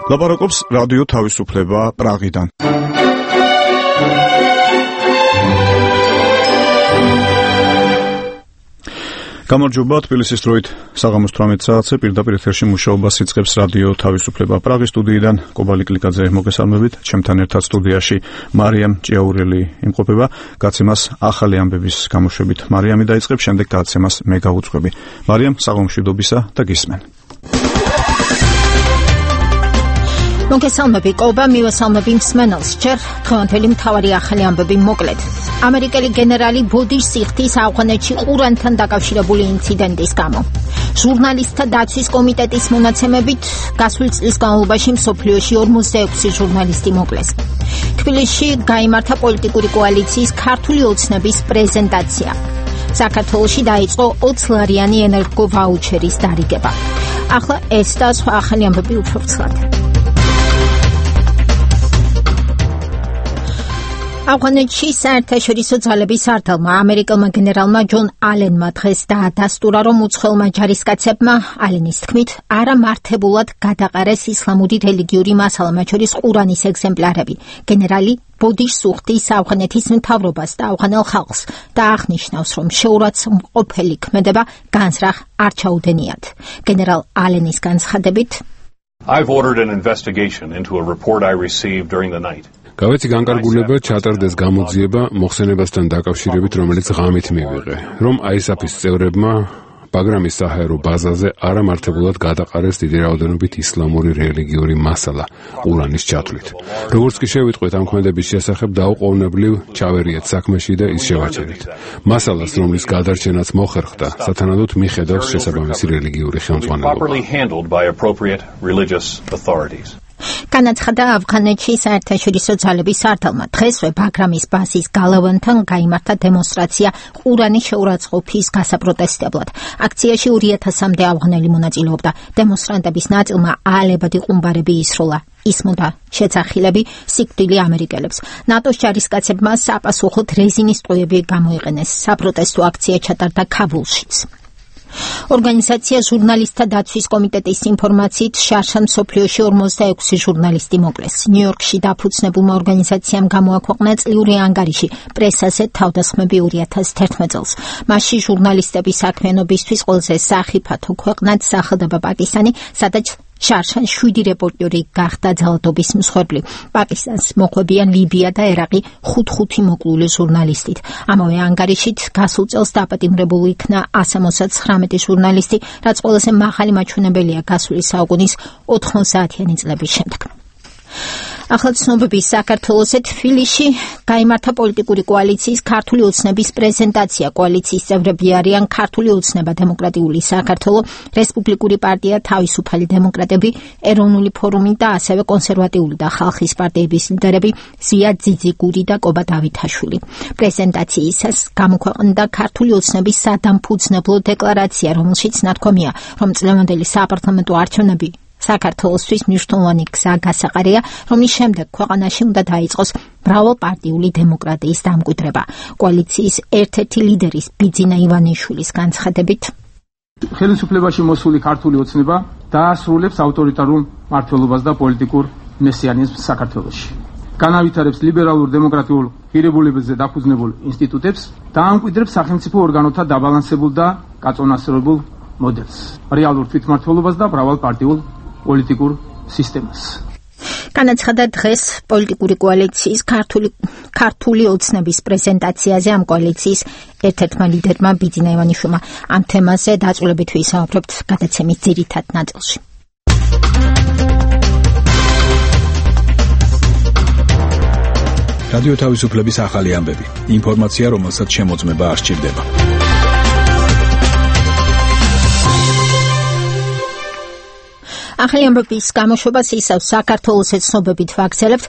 ლაპარაკობს რადიო თავისუფლება პრაღიდან. გამარჯობა, თბილისის დროით საღამოს 18 საათზე პირდაპირ ეთერში მუშაობას იწყებს რადიო თავისუფლება პრაღის სტუდიიდან. კობალი კლიკაძე მოგესალმებით. ჩემთან ერთად სტუდიაში მარიამ ჭიაურელი იმყოფება. გაცემას ახალი ამბების გამოშვებით მარიამი დაიწყებს, შემდეგ გაცემას მე გავუძღვები. მარიამ, საღამომშვიდობისა და გისმენ. მოგესალმები, კობა, მივესალმები მსმენელს. ჯერ დღევანდელი მთავარი ახალი ამბები მოკლედ. ამერიკელი გენერალი ბოდიშ სიხთის ავღანეთში ყურანთან დაკავშირებული ინციდენტის გამო. ჟურნალისტთა დაცვის კომიტეტის მონაცემებით გასული წლის განმავლობაში მსოფლიოში 46 ჟურნალისტი მოკლეს. თბილისში გაიმართა პოლიტიკური კოალიციის ქართული ოცნების პრეზენტაცია. საქართველოში დაიწყო 20 ლარიანი ენერგო ვაუჩერის დარიგება. ახლა ეს და სხვა ახალი ამბები უფრო ვრცლად. ავღანეთში საერთაშორისო ძალების სარდალმა ამერიკელმა გენერალმა ჯონ ალენმა დღეს დაადასტურა, რომ უცხოელმა ჯარისკაცებმა ალენის თქმით არამართებულად გადაყარეს ისლამური რელიგიური მასალა, მათ შორის ყურანის ეგზემპლარები. გენერალი ბოდიშ სიხთის ავღანეთის მთავრობას და ავღანელ ხალხს და აღნიშნავს, რომ შეურაც მყოფელი ქმედება განზრახ არ ჩაუდენიათ. გენერალ ალენის განცხადებით I've ordered an investigation into a report I received during the night. გავეცი განკარგულება ჩატარდეს გამოძიება მოხსენებასთან დაკავშირებით, რომელიც ღამით მივიღე, რომ ISAF-ის წევრებმა ბაგრამის საჰაერო ბაზაზე არამართებულად გადაყარეს დიდი რაოდენობით ისლამური რელიგიური მასალა ყურანის ჩათვლით. როგორც კი შევიტყვეთ ამ ქმედების შესახებ, დაუყოვნებლივ ჩავერიეთ საქმეში და ის შევაჩერეთ. მასალას, რომლის გადარჩენაც მოხერხდა, სათანადოდ მიხედავს შესაბამისი რელიგიური ხელმძღვანელობა. განაცხადა ავღანეთში საერთაშორისო ძალების სარდალმა. დღესვე ბაგრამის ბაზის გალავანთან გაიმართა დემონსტრაცია ყურანის შეურაცხყოფის გასაპროტესტებლად. აქციაში 2000-მდე ავღანელი მონაწილეობდა. დემონსტრანტების ნაწილმა აალებადი ყუმბარები ისროლა. ისმოდა შეცახილები სიკვდილი ამერიკელებს. ნატოს ჯარისკაცებმა საპასუხოდ რეზინის ტყვეები გამოიყენეს. საპროტესტო აქცია ჩატარდა ქაბულშიც. ორგანიზაცია ჟურნალისტთა დაცვის კომიტეტის ინფორმაციით შარშან მსოფლიოში 46 ჟურნალისტი მოკლეს. ნიუ-იორკში დაფუძნებულმა ორგანიზაციამ გამოაქვეყნა წლიური ანგარიში პრესაზე თავდასხმები 2011 წელს. მასში ჟურნალისტების საქმიანობისთვის ყველაზე სახიფათო ქვეყნად სახელდება პაკისტანი, სადაც შარშან 7 რეპორტერი გახდა ძალადობის მსხვერპლი. პაკისტანს მოხვებიან ლიბია და ერაყი 5 მოკლული ჟურნალისტით. ამავე ანგარიშით გასულ წელს დაპატიმრებული იქნა 179 ჟურნალისტი, რაც ყველაზე მაღალი მაჩვენებელია გასული საუკუნის 90-იანი წლების შემდეგ. ახლა ცნობები საქართველოსზე. თბილისში გაიმართა პოლიტიკური კოალიციის ქართული ოცნების პრეზენტაცია. კოალიციის წევრები არიან ქართული ოცნება დემოკრატიული საქართველო, რესპუბლიკური პარტია თავისუფალი დემოკრატები, ეროვნული ფორუმი და ასევე კონსერვატიული და ხალხის პარტიების ლიდერები ზია ძიძიგური და კობა დავითაშვილი. პრეზენტაციისას გამოქვეყნდა ქართული ოცნების სადამფუძნებლო დეკლარაცია, რომელშიც ნათქვამია, რომ წლევანდელი საპარლამენტო არჩევნები საქართველოსთვის მნიშვნელოვანი გზა გასაყარია, რომლის შემდეგ ქვეყანაში უნდა დაიწყოს მრავალპარტიული დემოკრატიის დამკვიდრება. კოალიციის ერთ-ერთი ლიდერის ბიძინა ივანიშვილის განცხადებით ხელისუფლებაში მოსული ქართული ოცნება დაასრულებს ავტორიტარულ მმართველობას და პოლიტიკურ მესიანიზმს საქართველოში. განავითარებს ლიბერალურ დემოკრატიულ ღირებულებებზე დაფუძნებულ ინსტიტუტებს და ამკვიდრებს სახელმწიფო ორგანოთა დაბალანსებულ და გაწონასწორებულ მოდელს, რეალურ თვითმმართველობას და მრავალპარტიულ პოლიტიკურ სისტემას. განაცხადა დღეს პოლიტიკური კოალიციის ქართული ოცნების პრეზენტაციაზე ამ კოალიციის ერთ-ერთმა ლიდერმა ბიძინა ივანიშვილმა. ამ თემაზე დაწვრილებით ვისაუბრებთ გადაცემის ძირითად ნაწილში. რადიო თავისუფლების ახალი ამბები. ინფორმაცია, რომელსაც შემოწმება არ სჭირდება. ახალი ამბების გამოშვებას ისევ საქართველოს ცნობებით ვაგრძელებთ.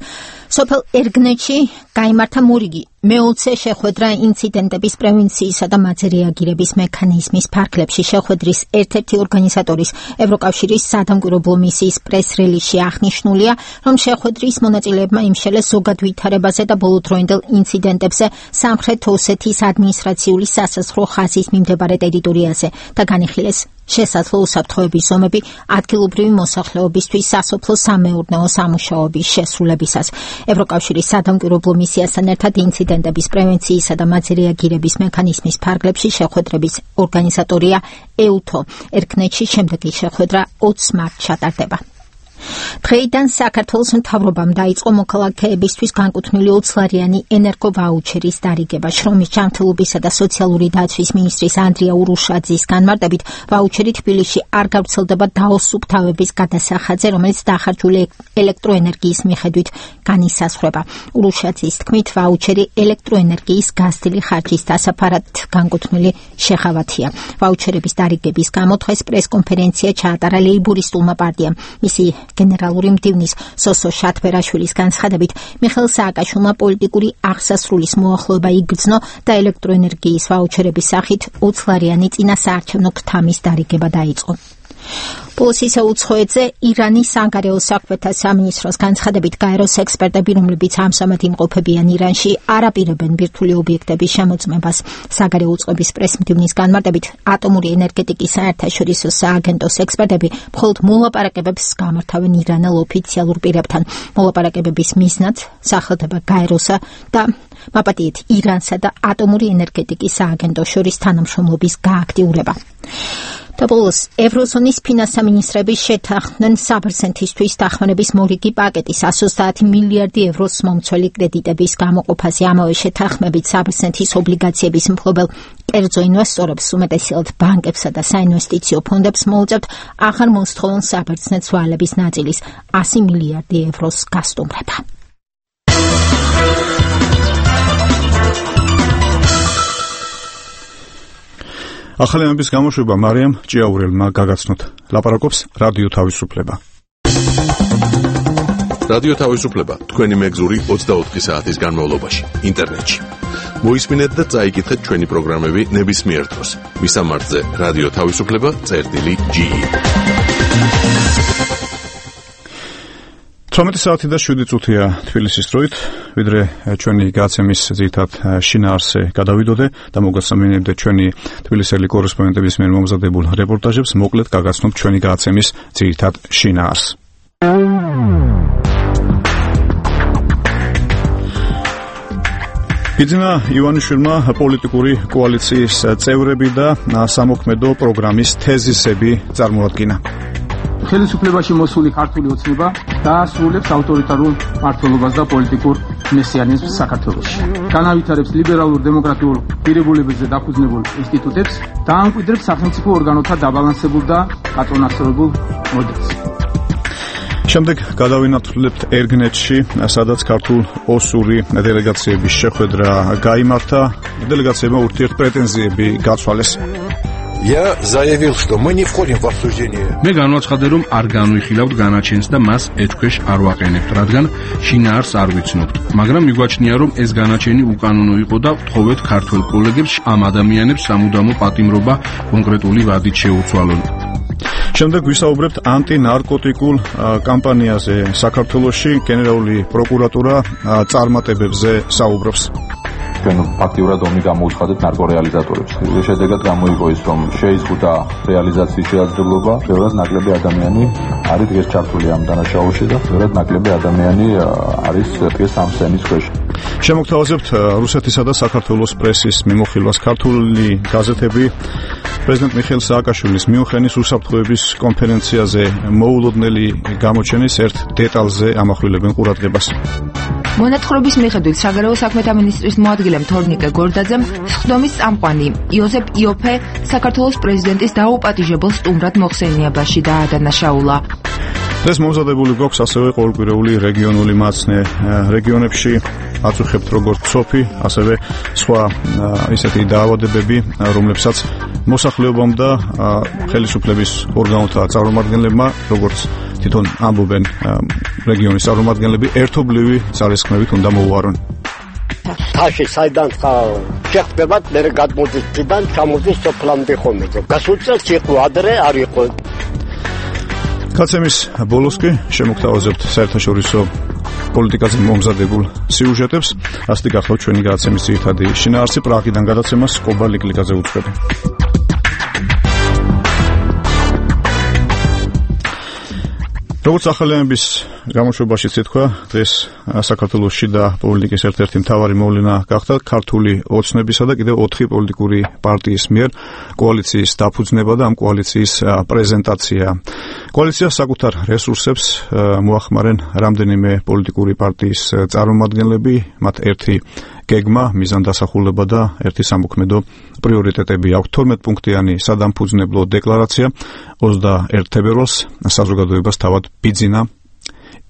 სოფელ ერგნეთში გაიმართა მორიგი მეოცე შეხვედრა ინციდენტების პრევენციისა და მათზე რეაგირების მექანიზმის ფარგლებში შეხვედრის ერთ-ერთი ორგანიზატორის ევროკავშირის სადამკვირვებლო მისიის პრეს-რელიზში აღნიშნულია, რომ შეხვედრის მონაწილეებმა იმშელეს ზოგად ვითარებაზე და ბოლოდროინდელ ინციდენტებზე სამხრეთ ოსეთის ადმინისტრაციული სასაზღვრო ხაზის მიმდებარე ტერიტორიაზე და განიხილეს შესაძლო უსაფრთხოების ზომები ადგილობრივი მოსახლეობისთვის სასოფლო-სამეურნეო სამუშაოების შესრულებისას. ევროკავშირის სადამკვირვებლო მისიასთან ერთად ინციდენტების პრევენციისა და მათზე რეაგირების მექანიზმის ფარგლებში შეხვედრების ორგანიზატორია EUTO. ერქნეთში შემდეგი შეხვედრა 20 მარტს ჩატარდება. დღეიდან საქართველოს მთავრობამ დაიწყო მოქალაქეებისთვის განკუთვნილი 20 ლარიანი ენერგოვაუჩერის დარიგება. შრომის ჯანმრთელობისა და სოციალური დაცვის მინისტრის ანდრია ურუშაძის განმარტებით, ვაუჩერი თბილისში არ გავრცელდება დაოსუფთავების გადასახადზე, რომელიც დახარჯული ელექტროენერგიის მიხედვით განისაზღვრება. ურუშაძის თქმით, ვაუჩერი ელექტროენერგიის გაზრდილი ხარჯის დასაფარად განკუთვნილი შეღავათია. ვაუჩერების დარიგების გამო დღეს პრესკონფერენცია ჩაატარა ლეიბურისტულმა პარტიამ. მისი გენერალური მდივნის სოსო შატბერაშვილის განცხადებით, მიხეილ სააკაშვილმა პოლიტიკური აღსასრულის მოახლოება იგრძნო და ელექტროენერგიის ვაუჩერების სახით 20 ლარიანი წინასაარჩევნო ქთამის დარიგება დაიწყო. პოლიციის უცხოეთზე ირანის საგარეო საქმეთა სამინისტროს განცხადებით, გაეროს ექსპერტები, რომლებიც ამჟამად იმყოფებიან ირანში, არ აპირებენ ბირთვული ობიექტების შემოწმებას. საგარეო უწყების პრესმდივნის განმარტებით, ატომური ენერგეტიკის საერთაშორისო სააგენტოს ექსპერტები მხოლოდ მოლაპარაკებებს გამართავენ ირანელ ოფიციალურ პირებთან. მოლაპარაკებების მიზნად სახელდება გაეროსა და მაპატიეთ ირანსა და ატომური ენერგეტიკის სააგენტოს შორის თანამშრომლობის გააქტიურება. და ბოლოს ევროზონის ფინანსთა მინისტრები შეთანხმდნენ საბერძნეთისთვის დახმარების მორიგი პაკეტის 130 მილიარდი ევროს მომცველი კრედიტების გამოყოფაზე. ამავე შეთანხმებით საბერძნეთის ობლიგაციების მფლობელ კერძო ინვესტორებს, უმეტესად ბანკებსა და საინვესტიციო ფონდებს მოუწევთ აღარ მოსთხოვონ საბერძნეთს ვალების ნაწილის 100 მილიარდი ევროს გასტუმრება. ახალი ამბის გამოშვება მარიამ ჭიაურელმა გაგაცნოთ. ლაპარაკობს რადიო თავისუფლება. რადიო თავისუფლება თქვენი მეგზური 24 საათის განმავლობაში ინტერნეტში. მოისმინეთ და წაიკითხეთ ჩვენი პროგრამები ნებისმიერ დროს. მისამართზე რადიო თავისუფლება.ge 18 საათი და 7 წუთია თბილისის დროით, ვიდრე ჩვენი გაცემის ძირითად შინაარსზე გადავიდოდე და მოგესალმებინებდე ჩვენი თბილისელი კორესპონდენტების მიერ მომზადებულ რეპორტაჟებს, მოკლედ გაგაცნობ ჩვენი გაცემის ძირითად შინაარსს. იძინა ივანიშვილმა პოლიტიკური კოალიციის წევრები და სამოქმედო პროგრამის თეზისები წარმოადგინა. ხელისუფლებაში მოსული ქართული ოცნება დაასრულებს ავტორიტარულ მმართველობას და პოლიტიკურ მესიანიზმს საქართველოში. განავითარებს ლიბერალურ დემოკრატიულ პირებულებებზე დაფუძნებულ ინსტიტუტებს და ამკვიდრებს სახელმწიფო ორგანოთა დაბალანსებულ და პატრონასებულ მოდელს. შემდეგ გადავინათლებთ ერგნეთში, სადაც ქართულ ოსური დელეგაციების შეხვედრა გაიმართა. დელეგაციებმა ურთიერთპრეტენზიები გაცვალეს. Я заявил, что мы не входим в обсуждение. მე განვაცხადე, რომ არ განვიხილავთ განაჩენს და მას ეთქვეშ არ ვაყენებთ, რადგან შინაარსს არ ვიცნობთ. მაგრამ მიგვაჩნია, რომ ეს განაჩენი უკანონო იყო და ვთხოვეთ ქართველ კოლეგებს ამ ადამიანებს სამუდამო პატიმრობა კონკრეტული ვადით შეუცვალონ. შემდეგ ვისაუბრებთ ანტინარკოტიკულ კამპანიაზე საქართველოში. გენერალური პროკურატურა წარმატებებზე საუბრობს. ჩვენ ფაქტიურად ომი გამოუცხადეთ ნარკორეალიზატორებს. შედეგად გამოიგო ის, რომ შეიზღუდა რეალიზაციის შესაძლებლობა, ბევრად ნაკლები ადამიანი არის დღეს ჩართული ამ დანაშაულში და ბევრად ნაკლები ადამიანი არის დღეს ამ სცენის ქვეშ. შემოგთავაზებთ რუსეთისა და საქართველოს პრესის მიმოხილვას. ქართული გაზეთები პრეზიდენტ მიხეილ სააკაშვილის მიუნხენის უსაფრთხოების კონფერენციაზე მოულოდნელი გამოჩენის ერთ დეტალზე ამახვილებენ ყურადღებას. მონათხრობის მიხედვით საგარეო საქმეთა მინისტრის მოადგილემ თორნიკე გორდაძემ სხდომის წამყვანი იოზეფ იოფე საქართველოს პრეზიდენტის დაუპატიჟებელ სტუმრად მოხსენიებაში დაადანაშაულა. დღეს მომზადებული გვაქვს ასევე ყოველკვირეული რეგიონული მაცნე. რეგიონებში აწუხებთ როგორც სოფი, ასევე სხვა ისეთი დაავადებები, რომლებსაც მოსახლეობამ და ხელისუფლების ორგანოთა წარმომადგენლებმა, როგორც თვითონ ამბობენ რეგიონის წარმომადგენლები, ერთობლივი ძალისხმევით უნდა მოუარონ. თაში საიდან შეხებად მე გადმოდის წიდან ჩამოდის სოფლამდე ხოლმე. გასულ წელს იყო ადრე არ იყო. კაცემის ბოლოს კი შემოგთავაზებთ საერთაშორისო პოლიტიკაზე მომზადებულ სიუჟეტებს. ასეთი გახლავთ ჩვენი გადაცემის ძირითადი შინაარსი. პრაღიდან გადაცემას კობა ლიკლიკაძე უწყდება. როგორც ახალიანების გამოშვებაშიც ითქვა, დღეს საქართველოში და პოლიტიკის ერთ-ერთი მთავარი მოვლენა გახდა ქართული ოცნებისა და კიდევ 4 პოლიტიკური პარტიის მიერ კოალიციის დაფუძნება და ამ კოალიციის პრეზენტაცია. კოალიცია საკუთარ რესურსებს მოახმარენ რამდენიმე პოლიტიკური პარტიის წარმომადგენლები, მათ ერთი გეგმა, მიზანდასახულება და ერთი სამოქმედო პრიორიტეტები აქვს. 12 პუნქტიანი სადამფუძნებლო დეკლარაცია 21 თებერვალს საზოგადოებას თავად ბიძინა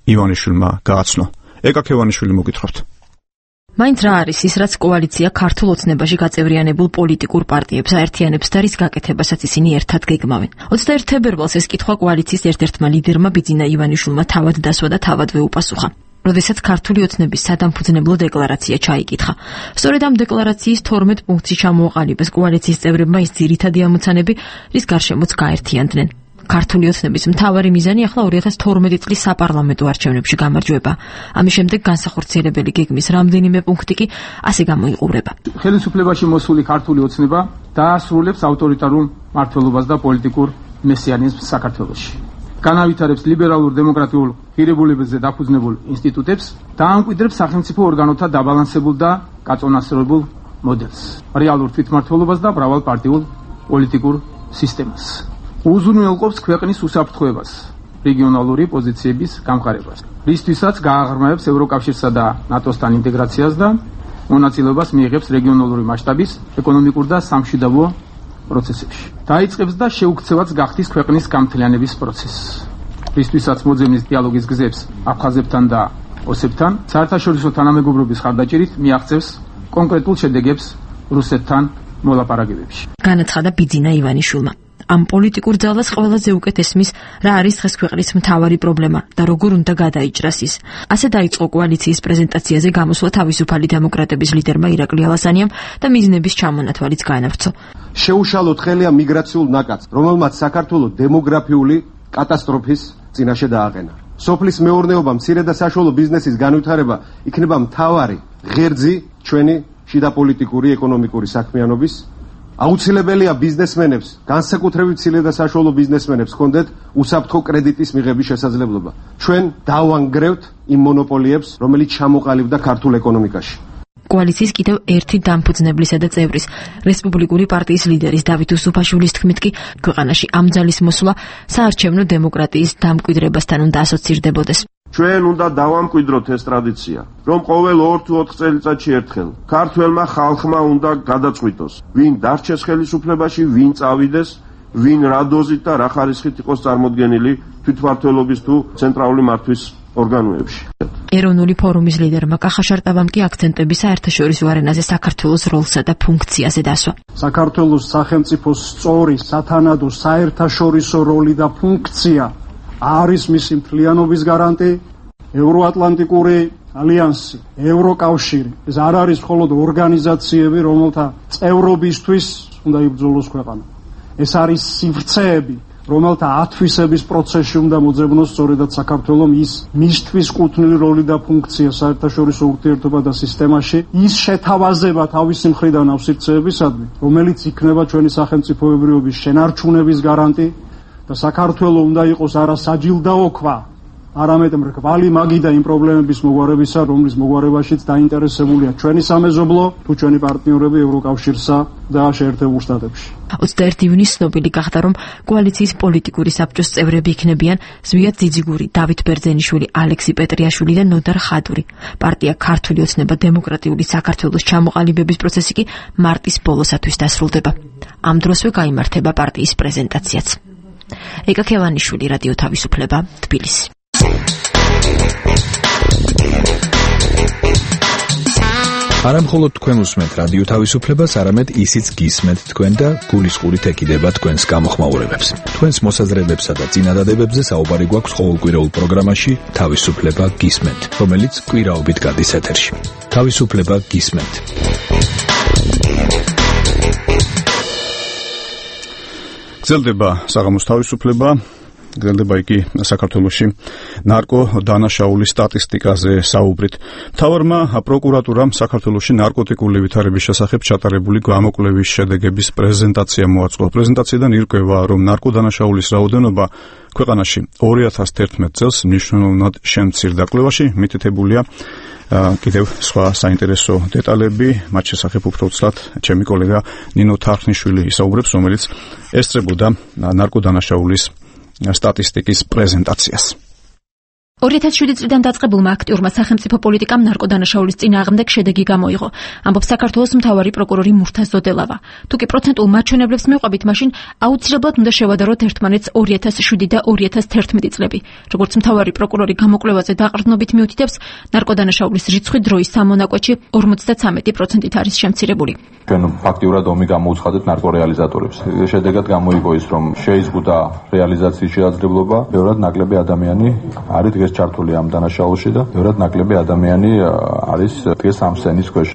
ივანიშვილმა გააცნო. ეკაკევანიშვილი მოგითხრობთ. მაინც რა არის ის, რაც კოალიცია ქართულ ოცნებაში გაწევრიანებულ პოლიტიკურ პარტიებს აერთიანებს და რის გაკეთებასაც ისინი ერთად გეგმავენ. 21 თებერვალს ეს კითხვა კოალიციის ერთ-ერთმა ლიდერმა ბიძინა ივანიშვილმა თავად დასვა და თავადვე უპასუხა. როდესაც ქართული ოცნების სადამფუძნებლო დეკლარაცია ჩაიკითხა. სწორედ ამ დეკლარაციის 12 პუნქტში ჩამოაყალიბეს კოალიციის წევრებმა ის ძირითადი ამოცანები, რის გარშემოც გაერთიანდნენ. ქართული ოცნების მთავარი მიზანი ახლა 2012 წლის საპარლამენტო არჩევნებში გამარჯვება. ამის შემდეგ განსახორციელებელი გეგმის რამდენიმე პუნქტი კი ასე გამოიყურება. ხელისუფლებაში მოსული ქართული ოცნება დაასრულებს ავტორიტარულ მმართველობას და პოლიტიკურ მესიანიზმს საქართველოში. განავითარებს ლიბერალურ დემოკრატიულ ღირებულებებზე დაფუძნებულ ინსტიტუტებს და ამკვიდრებს სახელმწიფო ორგანოთა დაბალანსებულ და გაწონასწორებულ მოდელს, რეალურ თვითმმართველობას და მრავალპარტიულ პოლიტიკურ სისტემას. უზრუნველყოფს ქვეყნის უსაფრთხოებას, რეგიონალური პოზიციების გამყარებას, რისთვისაც გააღრმავებს ევროკავშირსა და ნატოსთან ინტეგრაციას და მონაწილეობას მიიღებს რეგიონალური მასშტაბის ეკონომიკურ და სამშვიდობო პროცესებში. დაიწყებს და შეუქცევაც გახდის ქვეყნის გამთლიანების პროცესს, რისთვისაც მოძებნის დიალოგის გზებს აფხაზებთან და ოსებთან, საერთაშორისო თანამეგობრობის ხარდაჭერით მიაღწევს კონკრეტულ შედეგებს რუსეთთან მოლაპარაკებებში. განაცხადა ბიძინა ივანიშვილმა. ამ პოლიტიკურ ძალას ყველაზე უკეთ ესმის, რა არის დღეს ქვეყნის მთავარი პრობლემა და როგორ უნდა გადაიჭრას ის. ასე დაიწყო კოალიციის პრეზენტაციაზე გამოსვლა თავისუფალი დემოკრატების ლიდერმა ირაკლი ალასანიამ და მიზნების ჩამონათვალიც გაანავრცო. შეუშალოთ ხელი ამ მიგრაციულ ნაკადს, რომელმაც საქართველოს დემოგრაფიული კატასტროფის წინაშე დააყენა. სოფლის მეურნეობა, მცირე და საშუალო ბიზნესის განვითარება იქნება მთავარი ღერძი ჩვენი შიდა პოლიტიკური ეკონომიკური საქმიანობის. აუცილებელია ბიზნესმენებს, განსაკუთრებით მცირე და საშუალო ბიზნესმენებს ჰქონდეთ უსაფრთხო კრედიტის მიღების შესაძლებლობა. ჩვენ დავანგრევთ იმ მონოპოლიებს, რომელიც ჩამოყალიბდა ქართულ ეკონომიკაში. კოალიციის კიდევ ერთი დამფუძნებლისა და წევრის, რესპუბლიკური პარტიის ლიდერის დავით უსუფაშვილის თქმით კი ქვეყანაში ამ ძალის მოსვლა საარჩევნო დემოკრატიის დამკვიდრებასთან უნდა ასოცირდებოდეს. ჩვენ უნდა დავამკვიდროთ ეს ტრადიცია, რომ ყოველ 2 თუ 4 წელიწადში ერთხელ ქართველმა ხალხმა უნდა გადაწყვიტოს, ვინ დარჩეს ხელისუფლებაში, ვინ წავიდეს, ვინ რა დოზით და რა ხარისხით იყოს წარმოდგენილი თვითმმართველობის თუ ცენტრალური მართვის ორგანოებში. ეროვნული ფორუმის ლიდერმა კახა შარტავამ კი აქცენტები საერთაშორისო არენაზე საქართველოს როლსა და ფუნქციაზე დასვა. საქართველოს სახელმწიფოს სწორი, სათანადო საერთაშორისო როლი და ფუნქცია არის მისი მთლიანობის გარანტი, ევროატლანტიკური ალიანსი, ევროკავშირი. ეს არ არის მხოლოდ ორგანიზაციები, რომელთა წევრობისთვის უნდა იბრძოლოს ქვეყანა. ეს არის სივრცეები, რომელთა ათვისების პროცესში უნდა მოძებნოს სწორედად საქართველოს მისთვის კუთვნილი როლი და ფუნქცია საერთაშორისო ურთიერთობა და სისტემაში, ის შეთავაზება თავისი მხრიდან ავსირცეებისადმი, რომელიც იქნება ჩვენი სახელმწიფოებრიობის შენარჩუნების გარანტი და საქართველოს უნდა იყოს არა საჯილდაო ქვა, არამედ მრგვალი მაგიდა იმ პრობლემების მოგვარებისა, რომლის მოგვარებაშიც დაინტერესებულია ჩვენი სამეზობლო თუ ჩვენი პარტნიორები ევროკავშირსა და შეერთებულ შტატებში. 21 ივნისს ცნობილი გახდა, რომ კოალიციის პოლიტიკური საბჭოს წევრები იქნებიან ზვიად ძიძიგური, დავით ბერძენიშვილი, ალექსი პეტრიაშვილი და ნოდარ ხადური. პარტია ქართული ოცნება დემოკრატიული საქართველოს ჩამოყალიბების პროცესი კი მარტის ბოლოსათვის დასრულდება. ამ დროსვე გაიმართება პარტიის პრეზენტაციაც. ეკაკევანიშვილი, რადიო თავისუფლება, თბილისი. არა მხოლოდ თქვენ უსმენთ რადიო თავისუფლებას, არამედ ისიც გისმენთ თქვენ და გულისყურით ეკიდება თქვენს გამოხმაურებებს. თქვენს მოსაზრებებსა და წინადადებებზე საუბარი გვაქვს ყოველკვირეულ პროგრამაში თავისუფლება გისმენთ, რომელიც კვირაობით გადის ეთერში. თავისუფლება გისმენთ. გრძელდება საღამოს თავისუფლება, გრძელდება იგი საქართველოში ნარკო დანაშაულის სტატისტიკაზე საუბრით. მთავარმა პროკურატურამ საქართველოში ნარკოტიკული ვითარების შესახებ ჩატარებული გამოკვლევის შედეგების პრეზენტაცია მოაწყო. პრეზენტაციიდან ირკვევა, რომ ნარკო დანაშაულის რაოდენობა ქვეყანაში 2011 წელს მნიშვნელოვნად შემცირდა. კვლევაში მითითებულია კიდევ სხვა საინტერესო დეტალები, მათ შესახებ უფრო ცლად ჩემი კოლეგა ნინო თარხნიშვილი ისაუბრებს, რომელიც ესწრებოდა ნარკოდანაშაულის სტატისტიკის პრეზენტაციას. 2007 წლიდან დაწყებულმა აქტიურმა სახელმწიფო პოლიტიკამ ნარკოდანაშაულის წინააღმდეგ შედეგი გამოიღო, ამბობს საქართველოს მთავარი პროკურორი მურთა ზოდელავა. თუკი პროცენტულ მაჩვენებლებს მივყვებით, მაშინ აუცილებლად უნდა შევადაროთ ერთმანეთს 2007 და 2011 წლები. როგორც მთავარი პროკურორი გამოკვლევაზე დაყრდნობით მიუთითებს, ნარკოდანაშაულის რიცხვი დროის სამონაკვეთში 53%-ით არის შემცირებული. ჩვენ ფაქტიურად ომი გამოუცხადეთ ნარკორეალიზატორებს. შედეგად გამოიგო ის, რომ შეიზღუდა რეალიზაციის შეაძლებლობა, ბევრად ნაკლები ადამიანი არის დღეს ჩართული ამ დანაშაულში და ბევრად ნაკლები ადამიანი არის დღეს ამ სცენის ქვეშ.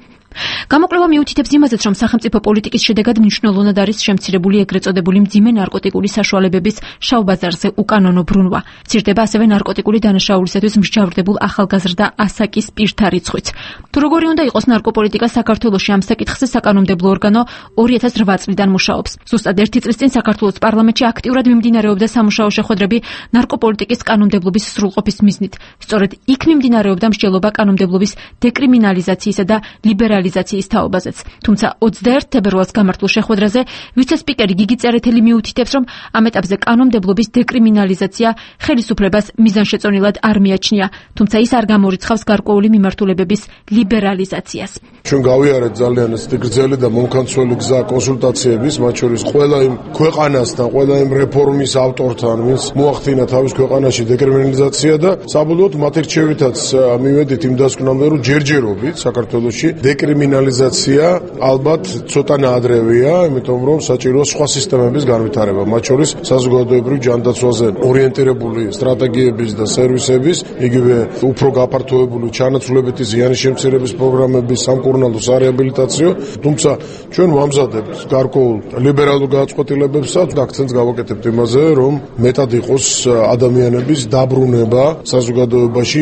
გამოკვლევა მიუთითებს იმაზეც, რომ სახელმწიფო პოლიტიკის შედეგად მნიშვნელოვნად არის შემცირებული ეგრეთ წოდებული მძიმე ნარკოტიკული საშუალებების შავ ბაზარზე უკანონო ბრუნვა. მცირდება ასევე ნარკოტიკული დანაშაულისათვის მსჯავრდებულ ახალგაზრდა ასაკის პირთა რიცხვიც. თუ როგორი უნდა იყოს ნარკოპოლიტიკა საქართველოში, ამ საკითხზე საკანონმდებლო ორგანო 2008 წლიდან მუშაობს. ზუსტად 1 წლის წინ საქართველოს პარლამენტში აქტიურად მიმდინარეობდა სამუშაო შეხვედრები ნარკოპოლიტიკის კანონმდებლობის სრულყოფის მიზნით. სწორედ იქ მიმდინარეობდა მსჯელობა კანონმდებლობის დეკრიმინალიზაციისა და ლიბერალიზაციის თაობაზეც. თუმცა 21 თებერვალს გამართულ შეხვედრაზე ვიცე-სპიკერი გიგი წერეთელი მიუთითებს, რომ ამ ეტაპზე კანონმდებლობის დეკრიმინალიზაცია ხელისუფლებას მიზანშეწონილად არ მიაჩნია, თუმცა ის არ გამორიცხავს გარკვეული მიმართულებების ლიბერალიზაციას. ჩვენ გავიარეთ ძალიან გრძელი და მომხანცველი გზა კონსულტაციების, მათ შორის ყველა იმ ქვეყანასთან, ყველა იმ რეფორმის ავტორთან, ვინც მოახდინა თავის ქვეყანაში დეკრიმინალიზაცია და საბოლოოდ მათ რჩევითაც მივედით იმ დასკვნამდე, რომ ჯერჯერობით საქართველოში დეკრიმინალიზაცია ალბათ ცოტა ნაადრევია, იმიტომ რომ საჭიროა სხვა სისტემების განვითარება, მათ შორის საზოგადოებრივ ჯანდაცვაზე ორიენტირებული სტრატეგიების და სერვისების, იგივე უფრო გაფართოებული ჩანაცვლებითი ზიანის შემცირების პროგრამების, სამკურნალო სარეაბილიტაციო, თუმცა ჩვენ ვამზადებთ გარკვეულ ლიბერალურ გადაწყვეტილებებსაც და აქცენტს გავაკეთებთ იმაზე, რომ მეტად იყოს ადამიანების დაბრუნება საზოგადოებაში.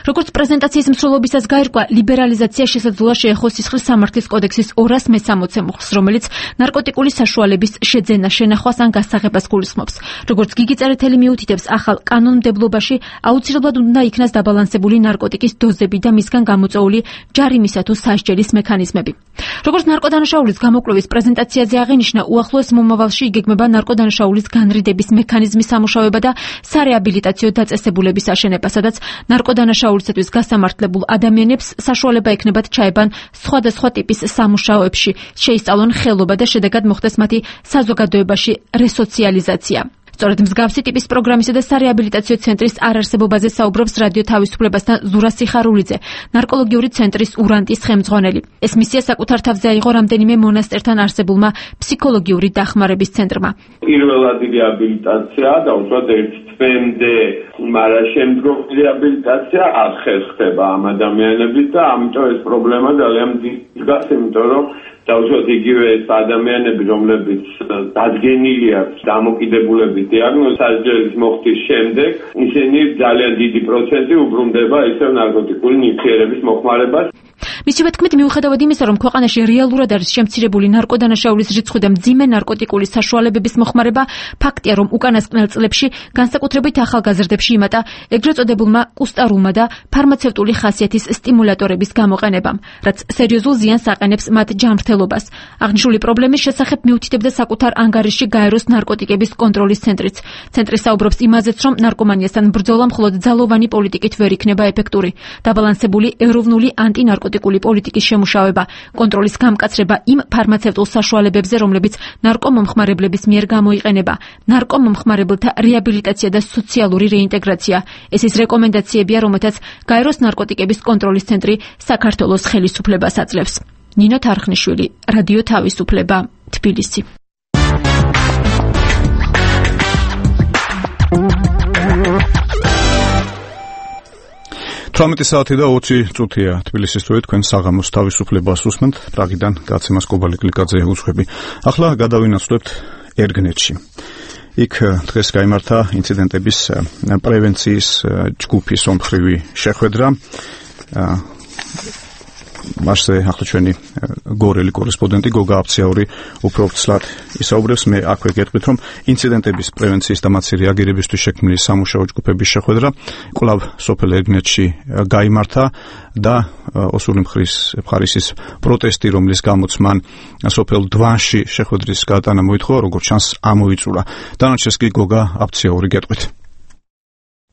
როგორც პრეზენტაციის მსვლელობისას გაირკვა, ლიბერალიზაცია შესაძლოა შეეხოს სისხლის სამართლის კოდექსის 260 მუხლს, რომელიც ნარკოტიკული საშუალების შეძენა, შენახვას ან გასაღებას გულისხმობს. როგორც გიგი წერეთელი მიუთითებს, ახალ კანონმდებლობაში აუცილებლად უნდა იქნას დაბალანსებული ნარკოტიკის დოზები და მისგან გამოწვეული ჯარიმისა თუ სასჯელის მექანიზმები. როგორც ნარკოდანაშაულის გამოკვლევის პრეზენტაციაზე აღინიშნა, უახლოეს მომავალში იგეგმება ნარკოდანაშაულის განრიდების მექანიზმის სამუშაოება და სარეაბილიტაციო დაწესებულების აშენება, სადაც ნარკოდანაშაულისათვის გასამართლებულ ადამიანებს საშუალება ექნებათ ჩაებან სხვადასხვა ტიპის სამუშაოებში, შეისწავლონ ხელობა და შედეგად მოხდეს მათი საზოგადოებაში რესოციალიზაცია. სწორედ მსგავსი ტიპის პროგრამისა და სარეაბილიტაციო ცენტრის არარსებობაზე საუბრობს რადიო თავისუფლებასთან ზურა სიხარულიძე, ნარკოლოგიური ცენტრის ურანტის ხელმძღვანელი. ეს მისია საკუთარ თავზე აიღო რამდენიმე მონასტერთან არსებულმა ფსიქოლოგიური დახმარების ცენტრმა. პირველადი რეაბილიტაცია და უშუალოდ ერთ თვემდე, მაგრამ შემდგომი რეაბილიტაცია არ ხერხდება ამ ადამიანების და ამიტომ ეს პრობლემა ძალიან დგას, იმიტომ რომ დაუშვათ იგივე ეს ადამიანები, რომლებიც დადგენილი აქვს დამოკიდებულების დიაგნოზი სასჯელის მოხდის შემდეგ, ისინი ძალიან დიდი პროცენტი უბრუნდება ისევ ნარკოტიკული ნივთიერების მოხმარებას. მისივე თქმით, მიუხედავად იმისა, რომ ქვეყანაში რეალურად არის შემცირებული ნარკოდანაშაულის რიცხვი და მძიმე ნარკოტიკული საშუალებების მოხმარება, ფაქტია, რომ უკანასკნელ წლებში განსაკუთრებით ახალგაზრდებში იმატა ეგრეთ წოდებულმა კუსტარულმა და ფარმაცევტული ხასიათის სტიმულატორების გამოყენებამ, რაც სერიოზულ ზიანს აყენებს მათ ჯანმრთელობას. აღნიშნული პრობლემის შესახებ მიუთითებდა საკუთარ ანგარიშში გაეროს ნარკოტიკების კონტროლის ცენტრიც. ცენტრი საუბრობს იმაზეც, რომ ნარკომანიასთან ბრძოლა მხოლოდ ძალოვანი პოლიტიკით ვერ იქნება ეფექტური. დაბალანსებული ეროვნული ანტინარკოტიკული ფარმაცევტული პოლიტიკის შემუშავება, კონტროლის გამკაცრება იმ ფარმაცევტულ საშუალებებზე, რომლებიც ნარკომომხმარებლების მიერ გამოიყენება, ნარკომომხმარებელთა რეაბილიტაცია და სოციალური რეინტეგრაცია. ეს ის რეკომენდაციებია, რომელთაც გაეროს ნარკოტიკების კონტროლის ცენტრი საქართველოს ხელისუფლებას აძლევს. ნინო თარხნიშვილი, რადიო თავისუფლება, თბილისი. 18 საათი და 20 წუთია თბილისის დროით თქვენ საღამოს თავისუფლებას უსმენთ. პრაღიდან გაცემას კობალიკლიძე უძღვები. ახლა გადავინაცვლებთ ერგნეთში. იქ დღეს გაიმართა ინციდენტების პრევენციის ჯგუფის ომხრივი შეხვედრა. მასზე ახლა ჩვენი გორელი კორესპონდენტი გოგა აფციაური უფრო ცლად ისაუბრებს. მე აქვე გეტყვით, რომ ინციდენტების პრევენციის და მათი რეაგირებისთვის შექმნილი სამუშაო ჯგუფების შეხვედრა კვლავ სოფელ ერგნეთში გაიმართა და ოსური მხარისის პროტესტი, რომლის გამოც მან სოფელ დვანში შეხვედრის გატანა მოითხოვა, როგორც ჩანს ამოიწურა. დანარჩენს კი გოგა აფციაური გეტყვით.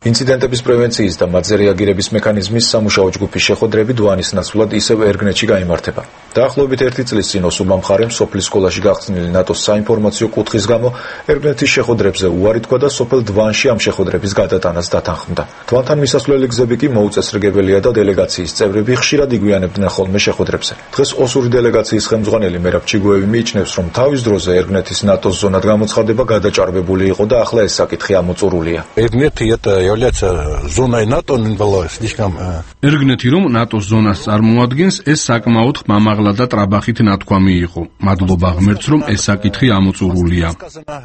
ინციდენტების პრევენციის და მათზე რეაგირების მექანიზმის სამუშაო ჯგუფის შეხვედრები დვანის ნაცვლად ისევ ერგნეთში გაიმართება. დაახლოებით 1 წლის წინ ოსურმა მხარემ სოფლის სკოლაში გახსნილი ნატოს საინფორმაციო კუთხის გამო ერგნეთის შეხვედრებზე უარი თქვა და სოფელ დვანში ამ შეხვედრების გადატანას დათანხმდა. დვანთან მისასვლელი გზები კი მოუწესრიგებელია და დელეგაციის წევრები ხშირად იგვიანებდნენ ხოლმე შეხვედრებზე. დღეს ოსური დელეგაციის ხელმძღვანელი მერაბ ჩიგოევი მიიჩნევს, რომ თავის დროზე ერგნეთის ნატოს ზონად გამოცხადება გადაჭარბებული იყო და ახლა ეს საკითხი ამოწურულია. является зоной НАТО, он была слишком... ერგნეთი რომ ნატოს ზონას წარმოადგენს, ეს საკმაოდ ხმამაღლა და ტრაბახით ნათქვამი იყო. მადლობა ღმერთს, რომ ეს საკითხი ამოწურულია.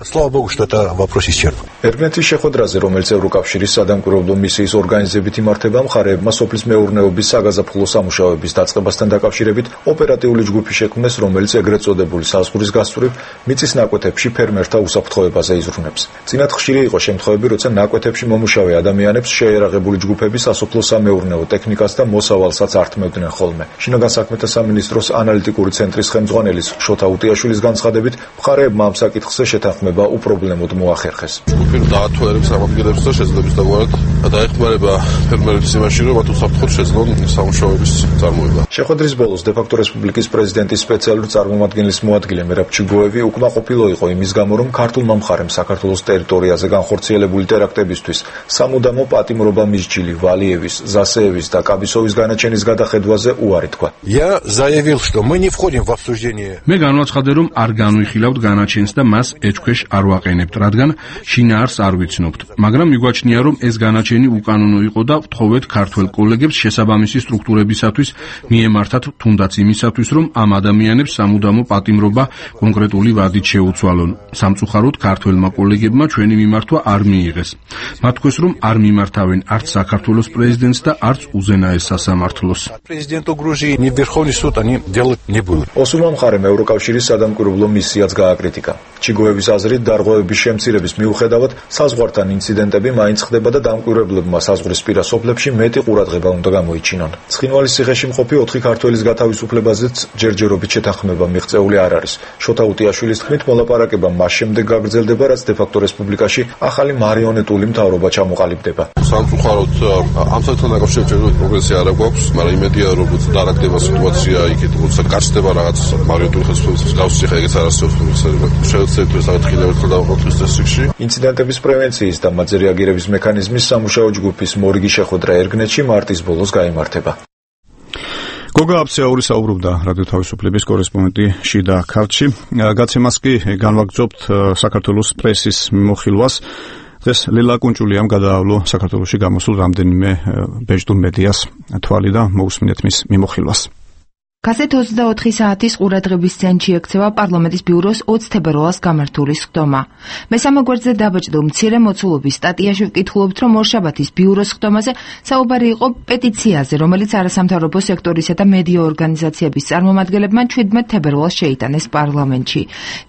Слава Богу, что это вопрос исчерпан. ერგნეთის შეხვედრაზე, რომელიც ევროკავშირის სადამკვირვებლო მისიის ორგანიზებით იმართება, მხარეებმა სოფლის მეურნეობის საგაზაფხულო სამუშაოების დაწყებასთან დაკავშირებით ოპერატიული ჯგუფი შექმნეს, რომელიც ეგრეთ წოდებული საზღვრის გასწვრივ მიწის ნაკვეთებში ფერმერთა უსაფრთხოებაზე იზრუნებს. წინათ ხშირი იყო შემთხვევები, როცა ნაკვეთებში მომუშავე ადამიანებს შეერაღებული ჯგუფები სასოფლო სამეურნეო ტექნიკას და მოსავალსაც ართმევდნენ ხოლმე. შინაგან საქმეთა სამინისტროს ანალიტიკური ცენტრის ხელმძღვანელის შოთა უტიაშვილის განცხადებით, მხარეებმა ამ საკითხზე შეთანხმება უპრობლემოდ მოახერხეს. ჯგუფი დაათვალებს სამართლებს და შეძლებს დავარად დაეხმარება ფერმერების იმაში, რომ მათ უსაფრთხოდ შეძლონ სამუშაოების წარმოება. შეხვედრის ბოლოს დე-ფაქტო რესპუბლიკის პრეზიდენტის სპეციალური წარმომადგენლის მოადგილე მერაბ ჩიგოევი უკმაყოფილო იყო იმის გამო, რომ ქართულმა მხარემ საქართველოს ტერიტორიაზე განხორციელებული ტერაქტებისთვის სამუდამო პატიმრობა მისჯილი ვალიევის, ზასეევის და კაბისოვის განაჩენის გადახედვაზე უარი თქვა. Я заявил, что мы не входим в обсуждение. მე განვაცხადე, რომ არ განვიხილავთ განაჩენს და მას ეჭქვეშ არ ვაყენებთ, რადგან შინაარს არ ვიცნობთ. მაგრამ მიგვაჩნია, რომ ეს განაჩენი უკანონო იყო და ვთხოვეთ ქართველ კოლეგებს შესაბამისი სტრუქტურებისათვის მიემართათ, თუნდაც იმისათვის, რომ ამ ადამიანებს სამუდამო პატიმრობა კონკრეტული ვადით შეუცვალონ. სამწუხაროდ ქართველმა კოლეგებმა ჩვენი მიმართვა არ მიიღეს. მათ თქვეს, რომ არ მიმართავენ არც საქართველოს პრეზიდენტს და არც უზენაეს სასამართლოს. Президенту Грузии ни Верховный суд они делать не будут. ოსურმა მხარემ ევროკავშირის სადამკვირვებლო მისიაც გააკრიტიკა. ჩიგოევის აზრით, დარღვევების შემცირების მიუხედავად, საზღვართან ინციდენტები მაინც ხდება და დამკვირვებლებმა საზღვრისპირა სოფლებში მეტი ყურადღება უნდა გამოიჩინონ. ცხინვალის ციხეში მყოფი 4 ქართველის გათავისუფლებაზეც ჯერჯერობით შეთანხმება მიღწეული არ არის. შოთა უტიაშვილის თქმით, მოლაპარაკება მას შემდეგ გაგრძელდება, რაც დე-ფაქტო რესპუბლიკაში ახალი მარიონეტული მთავრობა ჩამოყალიბდება. სამწუხაროდ ამ საკითხთან დაკავშირებით პროგრესია არ გვაქვს, მაგრამ იმედია, რომ დაარაგდება სიტუაცია იქით, როცა გაჩნდება რაღაც მარიონეტული ხელისუფლების გავს ხა ეგეც არ არსებობს. შევეცდეთ ეს საკითხი ერთხელ დავაყოთ ეს სიქსში. ინციდენტების პრევენციის და მათზე რეაგირების მექანიზმის სამუშაო ჯგუფის მორიგი შეხვედრა ერგნეთში მარტის ბოლოს გაიმართება. გოგა აფციაური საუბრობდა რადიო თავისუფლების კორესპონდენტი შიდა ქართლში. გაცემას კი განვაგრძობთ საქართველოს პრესის მიმოხილვას. დღეს ლელა კუნჭულიამ გადაავლო საქართველოში გამოსულ რამდენიმე ბეჭდურ მედიას თვალი და მოусმინეთ მის მიმოხილვას. გაზეთ 24 საათის ყურადღების ცენტრში ექცევა პარლამენტის ბიუროს 20 თებერვალს გამართული სხდომა. მესამე გვერდზე დაბეჭდილ მცირე მოცულობის სტატიაში ვკითხულობთ, რომ ორშაბათის ბიუროს სხდომაზე საუბარი იყო პეტიციაზე, რომელიც არასამთავრობო სექტორისა და მედია ორგანიზაციების წარმომადგენლებმა 17 თებერვალს შეიტანეს პარლამენტში.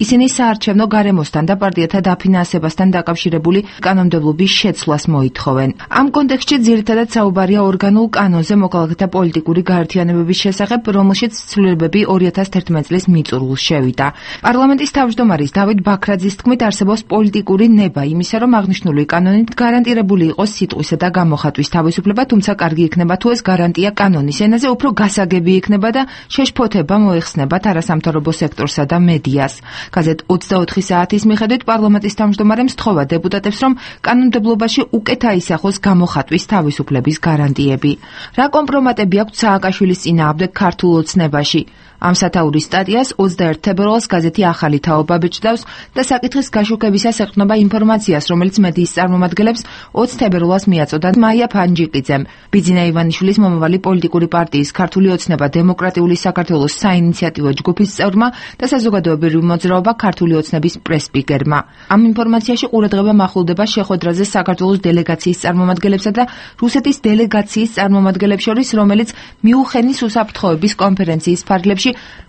ისინი საარჩევნო გარემოსთან და პარტიათა დაფინანსებასთან დაკავშირებული კანონმდებლობის შეცვლას მოითხოვენ. ამ კონტექსტში ძირითადად საუბარია ორგანულ კანონზე მოქალაქეთა პოლიტიკური გაერთიანებების შესახებ, რომელშიც რომელშიც ცვლილებები 2011 წლის მიწურულს შევიდა. პარლამენტის თავმჯდომარის დავით ბაქრაძის თქმით, არსებობს პოლიტიკური ნება იმისა, რომ აღნიშნული კანონით გარანტირებული იყოს სიტყვისა და გამოხატვის თავისუფლება, თუმცა კარგი იქნება თუ ეს გარანტია კანონის ენაზე უფრო გასაგები იქნება და შეშფოთება მოეხსნებათ არასამთავრობო სექტორსა და მედიას. გაზეთ 24 საათის მიხედვით პარლამენტის თავმჯდომარემ სთხოვა დეპუტატებს, რომ კანონმდებლობაში უკეთ აისახოს გამოხატვის თავისუფლების გარანტიები. რა კომპრომატები აქვს სააკაშვილის წინააღმდეგ ქართულ ოცნებაში? ამ სათაურის სტატიას 21 თებერვალს გაზეთი ახალი თაობა ბეჭდავს და საკითხის გაშუქებისას ეყრდნობა ინფორმაციას, რომელიც მედიის წარმომადგენლებს 20 თებერვალს მიაწოდა მაია ფანჯიკიძემ, ბიძინა ივანიშვილის მომავალი პოლიტიკური პარტიის ქართული ოცნება დემოკრატიული საქართველოს საინიციატივო ჯგუფის წევრმა და საზოგადოებრივი მოძრაობა ქართული ოცნების პრესპიკერმა. ამ ინფორმაციაში ყურადღება მახულდება შეხვედრაზე საქართველოს დელეგაციის წარმომადგენლებსა და რუსეთის დელეგაციის წარმომადგენლებს შორის, რომელიც მიუნხენის უსაფრთხოების კონფერენციის ფარგლებში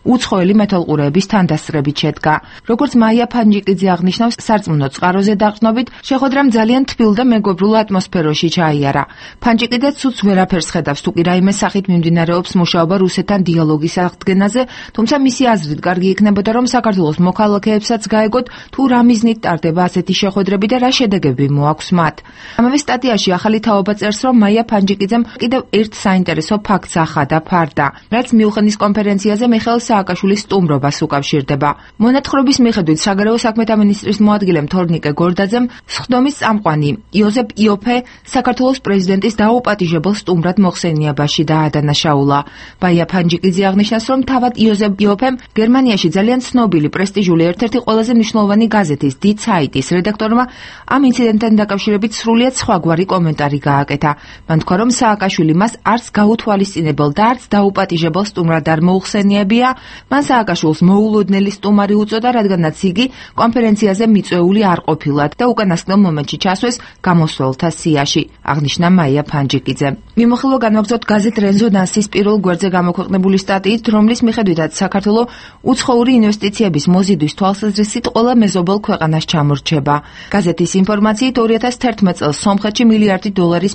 უცხოელი მეთვალყურეების თანდასწრებით შედგა. როგორც მაია ფანჯიკიძე აღნიშნავს, სარწმუნო წყაროზე დაყრდნობით, შეხვედრამ ძალიან თბილ და მეგობრულ ატმოსფეროში ჩაიარა. ფანჯიკიძე ცუდს ვერაფერს ხედავს, თუ კი რაიმე სახით მიმდინარეობს მუშაობა რუსეთთან დიალოგის აღდგენაზე, თუმცა მისი აზრით კარგი იქნებოდა, რომ საქართველოს მოქალაქეებსაც გაეგოთ, თუ რა მიზნით ტარდება ასეთი შეხვედრები და რა შედეგები მოაქვს მათ. ამავე სტატიაში ახალი თაობა წერს, რომ მაია ფანჯიკიძემ კიდევ ერთ საინტერესო ფაქტს ახადა ფარდა, რაც მიუნხენის კონფერენციაზე მიხეილ სააკაშვილის სტუმრობას უკავშირდება. მონათხრობის მიხედვით საგარეო საქმეთა მინისტრის მოადგილე თორნიკე გორდაძემ სხდომის წამყვანი იოზეფ იოფე საქართველოს პრეზიდენტის დაუპატიჟებელ სტუმრად მოხსენიებაში დაადანაშაულა. მაია ფანჯიკიძე აღნიშნავს, რომ თავად იოზეფ იოფემ გერმანიაში ძალიან ცნობილი პრესტიჟული ერთ-ერთი ყველაზე მნიშვნელოვანი გაზეთის დი ცაიტის რედაქტორმა ამ ინციდენტთან დაკავშირებით სრულიად სხვაგვარი კომენტარი გააკეთა. მან თქვა, რომ სააკაშვილი მას არც გაუთვალისწინებელ და არც დაუპატიჟებელ სტუმრად არ მოუხსენიებია, მან სააკაშვილს მოულოდნელი სტუმარი უწოდა, რადგანაც იგი კონფერენციაზე მიწვეული არ ყოფილა და უკანასკნელ მომენტში ჩასვეს გამოსვლელთა სიაში, აღნიშნა მაია ფანჯიკიძე. მიმოხილვა განვაგრძოთ გაზეთ რეზონანსის პირველ გვერდზე გამოქვეყნებული სტატიით, რომლის მიხედვითაც საქართველო უცხოური ინვესტიციების მოზიდვის თვალსაზრისით ყველა მეზობელ ქვეყანას ჩამორჩება. გაზეთის ინფორმაციით 2011 წელს სომხეთში $1 მილიარდი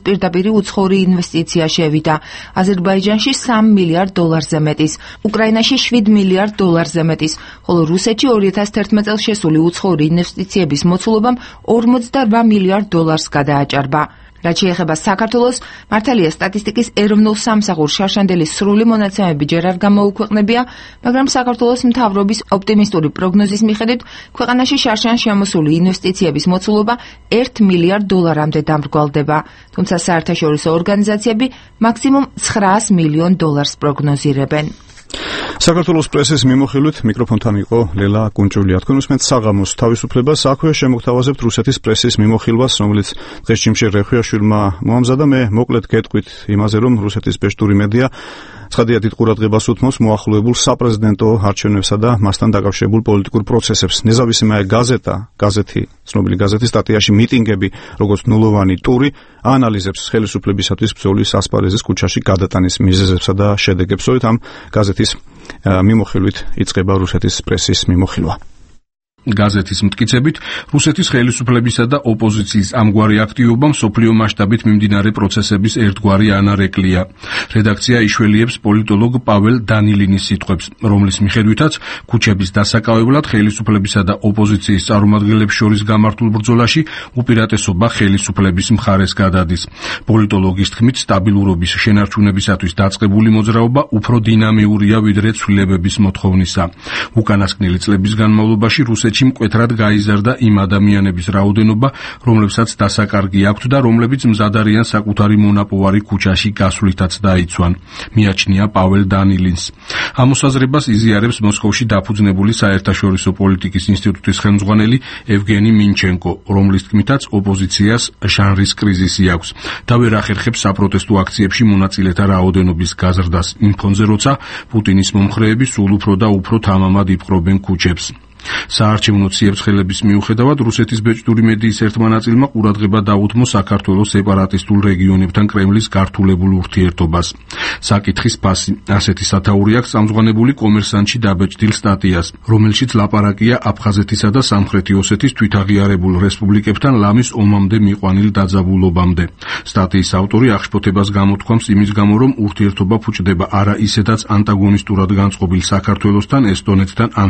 პირდაპირი უცხოური ინვესტიცია შევიდა, აზერბაიჯანში $3 მილიარდზე მეტის, უკრაინაში $7 მილიარდზე მეტის, ხოლო რუსეთში 2011 წელს შესული უცხოური ინვესტიციების მოცულობამ $48 მილიარდ გადააჭარბა. რაც შეეხება საქართველოს, მართალია სტატისტიკის ეროვნულ სამსახურს შარშანდელის სრული მონაცემები ჯერ არ გამოუქვეყნებია, მაგრამ საქართველოს მთავრობის ოპტიმისტური პროგნოზის მიხედვით ქვეყანაში შარშან შემოსული ინვესტიციების მოცულობა $1 მილიარდამდე დამრგვალდება, თუმცა საერთაშორისო ორგანიზაციები მაქსიმუმ $900 მილიონ პროგნოზირებენ. საქართველოს პრესის მიმოხილვით მიკროფონთან იყო ლელა კუნჭულია. თქვენ უსმენთ საღამოს თავისუფლებას. აქვე შემოგთავაზებთ რუსეთის პრესის მიმოხილვას, რომელიც დღეს ჯიმშე რეხვიაშვილმა მოამზადა. მე მოკლედ გეტყვით იმაზე, რომ რუსეთის ბეჭდური მედია ცხადია დიდ ყურადღებას უთმობს მოახლოებულ საპრეზიდენტო არჩევნებსა და მასთან დაკავშირებულ პოლიტიკურ პროცესებს. ნეზავისიმая გაზეთი, ცნობილი გაზეთი სტატიაში მიტინგები, როგორც ნულოვანი ტური, აანალიზებს ხელისუფლებისათვის ბრძოლის ასპარეზის ქუჩაში გადატანის მიზეზებსა და შედეგებს. სწორედ ამ გაზეთის მიმოხილვით იწყება რუსეთის პრესის მიმოხილვა. გაზეთის მტკიცებით, რუსეთის ხელისუფლებისა და ოპოზიციის ამგვარი აქტივობა მსოფლიო მასშტაბით მიმდინარე პროცესების ერთგვარი ანარეკლია. რედაქცია იშველიებს პოლიტოლოგ პაվել დანილინის სიტყვებს, რომლის მიხედვითაც ქუჩების დასაკავებლად ხელისუფლებისა და ოპოზიციის წარმომადგენლებს შორის გამართულ ბრძოლაში უპირატესობა ხელისუფლების მხარეს გადადის. პოლიტოლოგის თქმით, სტაბილურობის შენარჩუნებისათვის დაწყებული მოძრაობა უფრო დინამიურია ვიდრე ცვლილებების მოთხოვნისა. უკანასკნელი წლების განმავლობაში რუსეთში მკვეთრად გაიზარდა იმ ადამიანების რაოდენობა, რომლებსაც დასაკარგი აქვთ და რომლებიც მზად არიან საკუთარი მონაპოვარი ქუჩაში გასვლითაც დაიცვან, მიაჩნია პაվել დანილინს. ამ მოსაზრებას იზიარებს მოსკოვში დაფუძნებული საერთაშორისო პოლიტიკის ინსტიტუტის ხელმძღვანელი ევგენი მინჩენკო, რომლის თქმითაც ოპოზიციას ჟანრის კრიზისი აქვს და ვერ ახერხებს საპროტესტო აქციებში მონაწილეთა რაოდენობის გაზრდას იმ ფონზე, როცა პუტინის მომხრეები სულ უფრო და უფრო თამამად იპყრობენ ქუჩებს. საარჩევნო ციებ-ცხელების მიუხედავად რუსეთის ბეჭდური მედიის ერთმა ნაწილმა ყურადღება დაუთმო საქართველოს სეპარატისტულ რეგიონებთან კრემლის გართულებულ ურთიერთობას. საკითხის ფასი ასეთი სათაური აქვს წამზღვანებული კომერსანტში დაბეჭდილ სტატიას, რომელშიც ლაპარაკია აფხაზეთისა და სამხრეთი ოსეთის თვითაღიარებულ რესპუბლიკებთან ლამის ომამდე მიყვანილ დაძაბულობამდე. სტატიის ავტორი აღშფოთებას გამოთქვამს იმის გამო, რომ ურთიერთობა ფუჭდება არა ისედაც ანტაგონისტურად განწყობილ საქართველოსთან, ესტონეთთან ან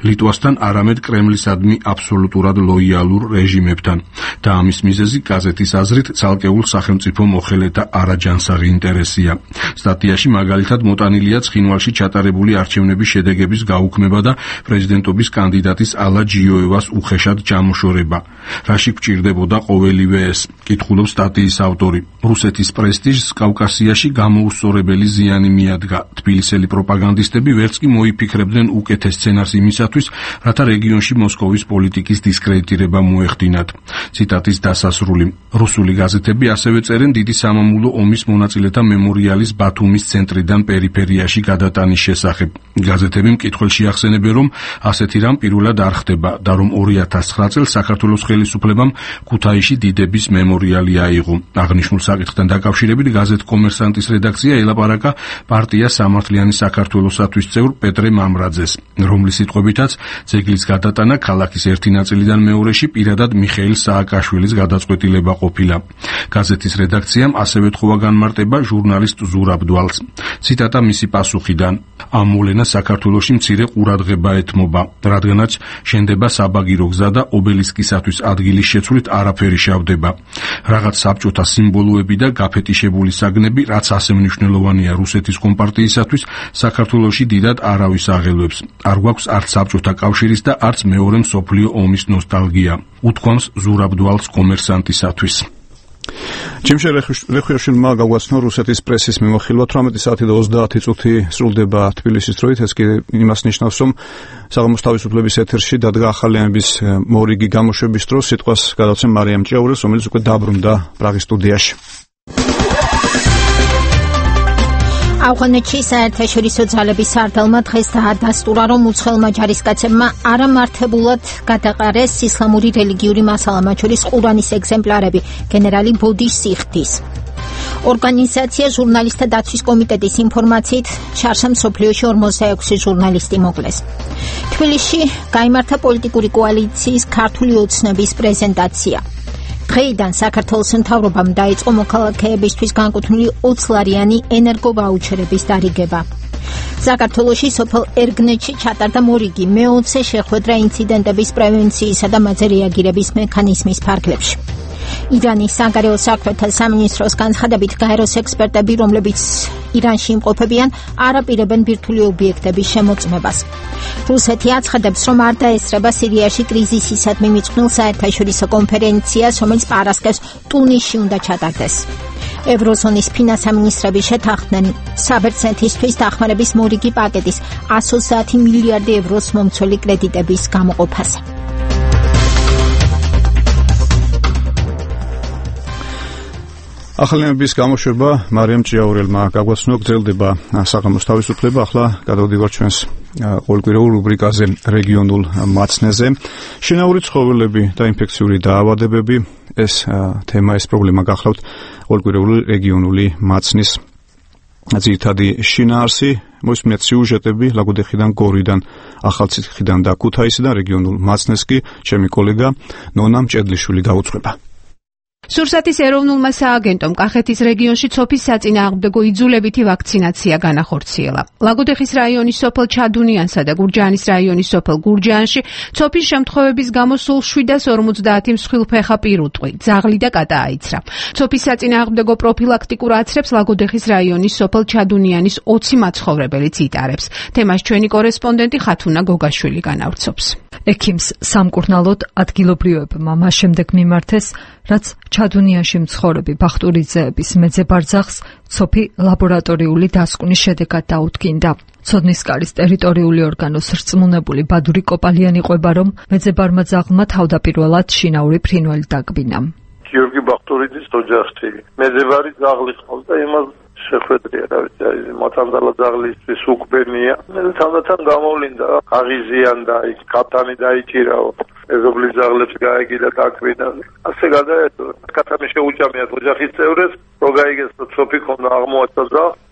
ლიტვასთან, არამედ კრემლისადმი აბსოლუტურად ლოიალურ რეჟიმებთან. და ამის მიზეზი გაზეთის აზრით ცალკეულ სახელმწიფო მოხელეთა არაჯანსაღი ინტერესია. სტატიაში მაგალითად მოტანილია ცხინვალში ჩატარებული არჩევნების შედეგების გაუქმება და პრეზიდენტობის კანდიდატის ალა ჯიოევას უხეშად ჩამოშორება. რაში გვჭირდებოდა ყოველივე ეს? კითხულობს სტატიის ავტორი. რუსეთის პრესტიჟს კავკასიაში გამოუსწორებელი ზიანი მიადგა. თბილისელი პროპაგანდისტები ვერც კი მოიფიქრებდნენ უკეთეს სცენარს იმისათვის, რათა რეგიონში მოსკოვის პოლიტიკის დისკრედიტირება მოეხდინათ. ციტატის დასასრული. რუსული გაზეთები ასევე წერენ დიდი სამამულო ომის მონაწილეთა მემორიალის ბათუმის ცენტრიდან პერიფერიაში გადატანის შესახებ. გაზეთები მკითხველში ახსენებენ, რომ ასეთი რამ პირველად არ ხდება და რომ 2009 წელს საქართველოს ხელისუფლებამ ქუთაისში დიდების მემორიალი აიღო. აღნიშნულ საკითხთან დაკავშირებით გაზეთ კომერსანტის რედაქცია ელაპარაკა პარტია სამართლიანი საქართველოსათვის წევრ პეტრე მამრაძეს, რომლის სიტყვებითაც ძეგლის გადატანა ქალაქის ერთი ნაწილიდან მეორეში პირადად მიხეილ სააკაშვილის გადაწყვეტილება ყოფილა. გაზეთის რედაქციამ ასევე თხოვა განმარტება ჟურნალისტ ზურაბ დვალს. ციტატა მისი პასუხიდან: ამ მოვლენას საქართველოში მცირე ყურადღება ეთმობა, რადგანაც შენდება საბაგირო გზა და ობელისკისათვის ადგილის შეცვლით არაფერი შავდება. რაღაც საბჭოთა სიმბოლოები და გაფეტიშებული საგნები, რაც ასე მნიშვნელოვანია რუსეთის კომპარტიისათვის, საქართველოში დიდად არავის აღელვებს. არ გვაქვს არც საბჭოთა კავშირის და არც მეორე მსოფლიო ომის ნოსტალგია, უთქვამს ზურაბ დვალს კომერსანტისათვის. ჯიმშე რეხუიაშვილმა გაგვაცნო რუსეთის პრესის მიმოხილვა 18 საათი და 30 წუთი სრულდება თბილისის დროით. ეს კი იმას ნიშნავს, რომ საღამოს თავისუფლების ეთერში დადგა ახალი ამების მორიგი გამოშვების დროს სიტყვას გადავცემ მარიამ ჭიაურელს, რომელიც უკვე დაბრუნდა პრაღის სტუდიაში. ავღანეთში საერთაშორისო ძალების სარდალმა დღეს დაადასტურა, რომ უცხოელმა ჯარისკაცებმა არამართებულად გადაყარეს ისლამური რელიგიური მასალა, მათ შორის ყურანის ეგზემპლარები გენერალი ბოდიშ სიხდის. ორგანიზაცია ჟურნალისტთა დაცვის კომიტეტის ინფორმაციით შარშა მსოფლიოში 46 ჟურნალისტი მოკლეს. თბილისში გაიმართა პოლიტიკური კოალიციის ქართული ოცნების პრეზენტაცია. დღეიდან საქართველოს მთავრობამ დაიწყო მოქალაქეებისთვის განკუთვნილი 20 ლარიანი ენერგოვაუჩერების დარიგება. საქართველოში სოფელ ერგნეთში ჩატარდა მორიგი მე-20 შეხვედრა ინციდენტების პრევენციისა და მათზე რეაგირების მექანიზმის ფარგლებში. ირანის საგარეო საქმეთა სამინისტროს განცხადებით, გაეროს ექსპერტები, რომლებიც ირანში იმყოფებიან, არ აპირებენ ბირთვული ობიექტების შემოწმებას. რუსეთი აცხადებს, რომ არ დაესწრება სირიაში კრიზისისადმი მიწყვნილ საერთაშორისო კონფერენციას, რომელიც პარასკევს ტუნისში უნდა ჩატარდეს. ევროზონის ფინანსთა მინისტრები შეთანხმდნენ საბერძნეთისთვის დახმარების მორიგი პაკეტის 130 მილიარდი ევროს მომცველი კრედიტების გამოყოფაზე. ახალინების გამოშვება მარიამ ჭიაურელმა გაგვაცნო, გრძელდება საღამოს თავისუფლება. ახლა გადავდივარ ჩვენს ყოველკვირეულ რუბრიკაზე რეგიონულ მაცნეზე. შინაური ცხოველები და ინფექციური დაავადებები, ეს თემა, ეს პრობლემა გახლავთ ყოველკვირეული რეგიონული მაცნის ძირითადი შინაარსი. მოისმინეთ სიუჟეტები ლაგოდეხიდან, გორიდან, ახალციხიდან და ქუთაისიდან. რეგიონულ მაცნეს კი ჩემი კოლეგა ნონა მჭედლიშვილი დაუწყება. სურსათის ეროვნულმა სააგენტომ კახეთის რეგიონში ცოფის საწინააღმდეგო იძულებითი ვაქცინაცია განახორციელა. ლაგოდეხის რაიონის სოფელ ჩადუნიანსა და გურჯაანის რაიონის სოფელ გურჯაანში ცოფის შემთხვევების გამო სულ 750 მსხვილფეხა პირუტყვი, ძაღლი და კატა აიცრა. ცოფის საწინააღმდეგო პროფილაქტიკურ აცრებს ლაგოდეხის რაიონის სოფელ ჩადუნიანის 20 მაცხოვრებელიც იტარებს. თემას ჩვენი კორესპონდენტი ხათუნა გოგაშვილი განავრცობს. ექიმს სამკურნალოდ ადგილობრივებმა მას შემდეგ მიმართეს, რაც ჩადუნიაში მცხოვრები ბახტურიძეების მეძებარძახს ცოფი ლაბორატორიული დასკვნის შედეგად დაუდგინდა. ცოდნისკარის ტერიტორიული ორგანოს რწმუნებული ბადური კოპალიანი ყვება, რომ მეძებარმა ძაღლმა თავდაპირველად შინაური ფრინველი დაგბინა. გიორგი ბახტურიძის ოჯახში. მეძებარი ძაღლი ყავს და იმას შეხვედრია, რა ვიცი, აი მათანდალა ძაღლისთვის უკბენია. მე თანდათან გამოვლინდა, აღიზიან და იქ კატანი დაიჭირაო. ეზობლის ძაღლებს გაეგიდა დაკვირდა. ასე გადაეტო. კატანი შეუჭამიათ ოჯახის წევრებს, რო გაიგეს რომ ცოფი ხონდა აღმოაჩა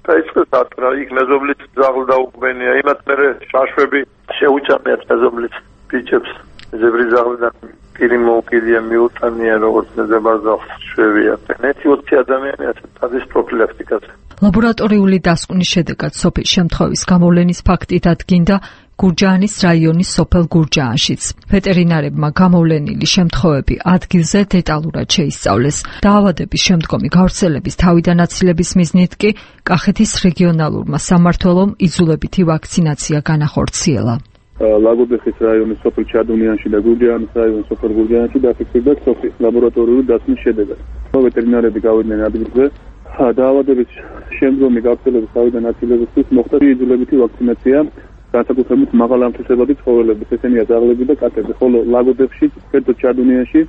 და იწყეს ატყრა. იქ მეზობლის ძაღლ დაუკბენია. იმათ მერე შაშვები შეუჭამიათ მეზობლის ბიჭებს. მეზობლის ძაღლიდან პირი მოუკიდია მიუტანია როგორც მეზობარ ძაღლს შვებია. ნეთი 20 ადამიანი ასეთ პროფილაქტიკაზე. ლაბორატორიული დასკვნის შედეგად სოფლის შემთხვევის გამოვლენის ფაქტი დადგინდა გურჯაანის რაიონის სოფელ გურჯაანშიც. ვეტერინარებმა გამოვლენილი შემთხვევები ადგილზე დეტალურად შეისწავლეს. დაავადების შემდგომი გავრცელების თავიდანაცილების მიზნით კი კახეთის რეგიონალურმა სამმართველომ იძულებითი ვაქცინაცია განახორციელა. ლაგოდეხის რაიონის სოფელ ჩადუნიანში და გურჯაანის რაიონის სოფელ გურჯაანში დაფიქსირდა სოფლის ლაბორატორიული დასკვნის შედეგად. ვეტერინარები გავიდნენ ადგილზე. დაავადების შემდგომი გავრცელების თავიდანაცილებისთვის მოხდა იძულებითი ვაქცინაცია. განსაკუთრებით მაღალამთვისებადი ცხოველების, ესენია ძაღლები და კატები, ხოლო ლაგოდეხში, კერძოდ ჩადუნიაში,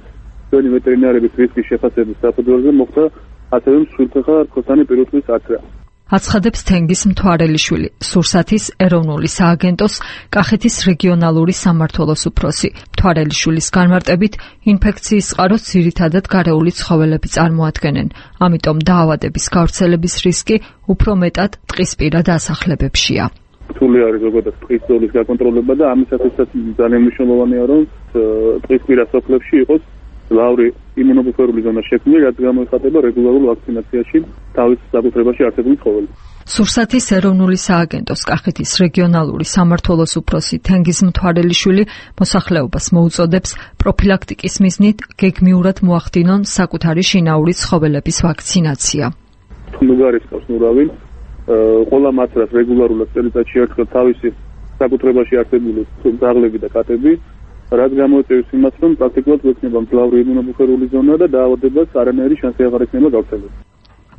ჩვენი ვეტერინარების რისკის შეფასების საფუძველზე მოხდა ასევე მსხვილფეხა რქოსანი პირუტყვის აცრა. აცხადებს თენგის მთვარელიშვილი, სურსათის ეროვნული სააგენტოს კახეთის რეგიონალური სამმართველოს უფროსი. მთვარელიშვილის განმარტებით, ინფექციის წყაროს ძირითადად გარეული ცხოველები წარმოადგენენ, ამიტომ დაავადების გავრცელების რისკი უფრო მეტად ტყისპირა დასახლებებშია. რთული არის ზოგადად ტყის ზოლის გაკონტროლება და ამისათვისაც ძალიან მნიშვნელოვანია, რომ ტყისპირა სოფლებში იყოს ლავრი იმუნობუფერული ზონა შექმნილი, რაც გამოიხატება რეგულარულ ვაქცინაციაში თავის საკუთრებაში არსებული ცხოველი. სურსათის ეროვნული სააგენტოს კახეთის რეგიონალური სამმართველოს უფროსი თენგიზ მთვარელიშვილი მოსახლეობას მოუწოდებს პროფილაქტიკის მიზნით გეგმიურად მოახდინონ საკუთარი შინაური ცხოველების ვაქცინაცია. ნუგარისკავს ნურავინ ყველა მათრას რეგულარულად წელიწადში ერთხელ თავისი საკუთრებაში არსებული ძაღლები და კატები, რაც გამოიწვევს იმას, რომ პრაქტიკულად გვექნება მძლავრი იმუნობუფერული ზონა და დაავადებას არანაირი შანსი აღარ ექნება გავრცელებას.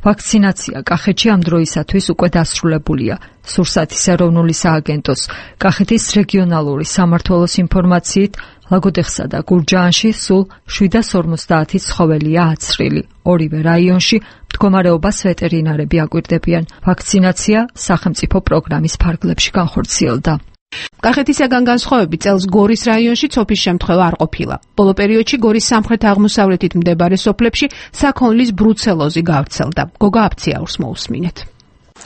ვაქცინაცია კახეთში ამ დროისათვის უკვე დასრულებულია. სურსათის ეროვნული სააგენტოს კახეთის რეგიონალური სამმართველოს ინფორმაციით, ლაგოდეხსა და გურჯაანში სულ 750 ცხოველია აცრილი. ორივე რაიონში მდგომარეობას ვეტერინარები აკვირდებიან. ვაქცინაცია სახელმწიფო პროგრამის ფარგლებში განხორციელდა. კახეთისაგან განსხვავებით წელს გორის რაიონში ცოფის შემთხვევა არ ყოფილა. ბოლო პერიოდში გორის სამხრეთ-აღმოსავლეთით მდებარე სოფლებში საქონლის ბრუცელოზი გავრცელდა. გოგა აფციაურს მოусმინეთ.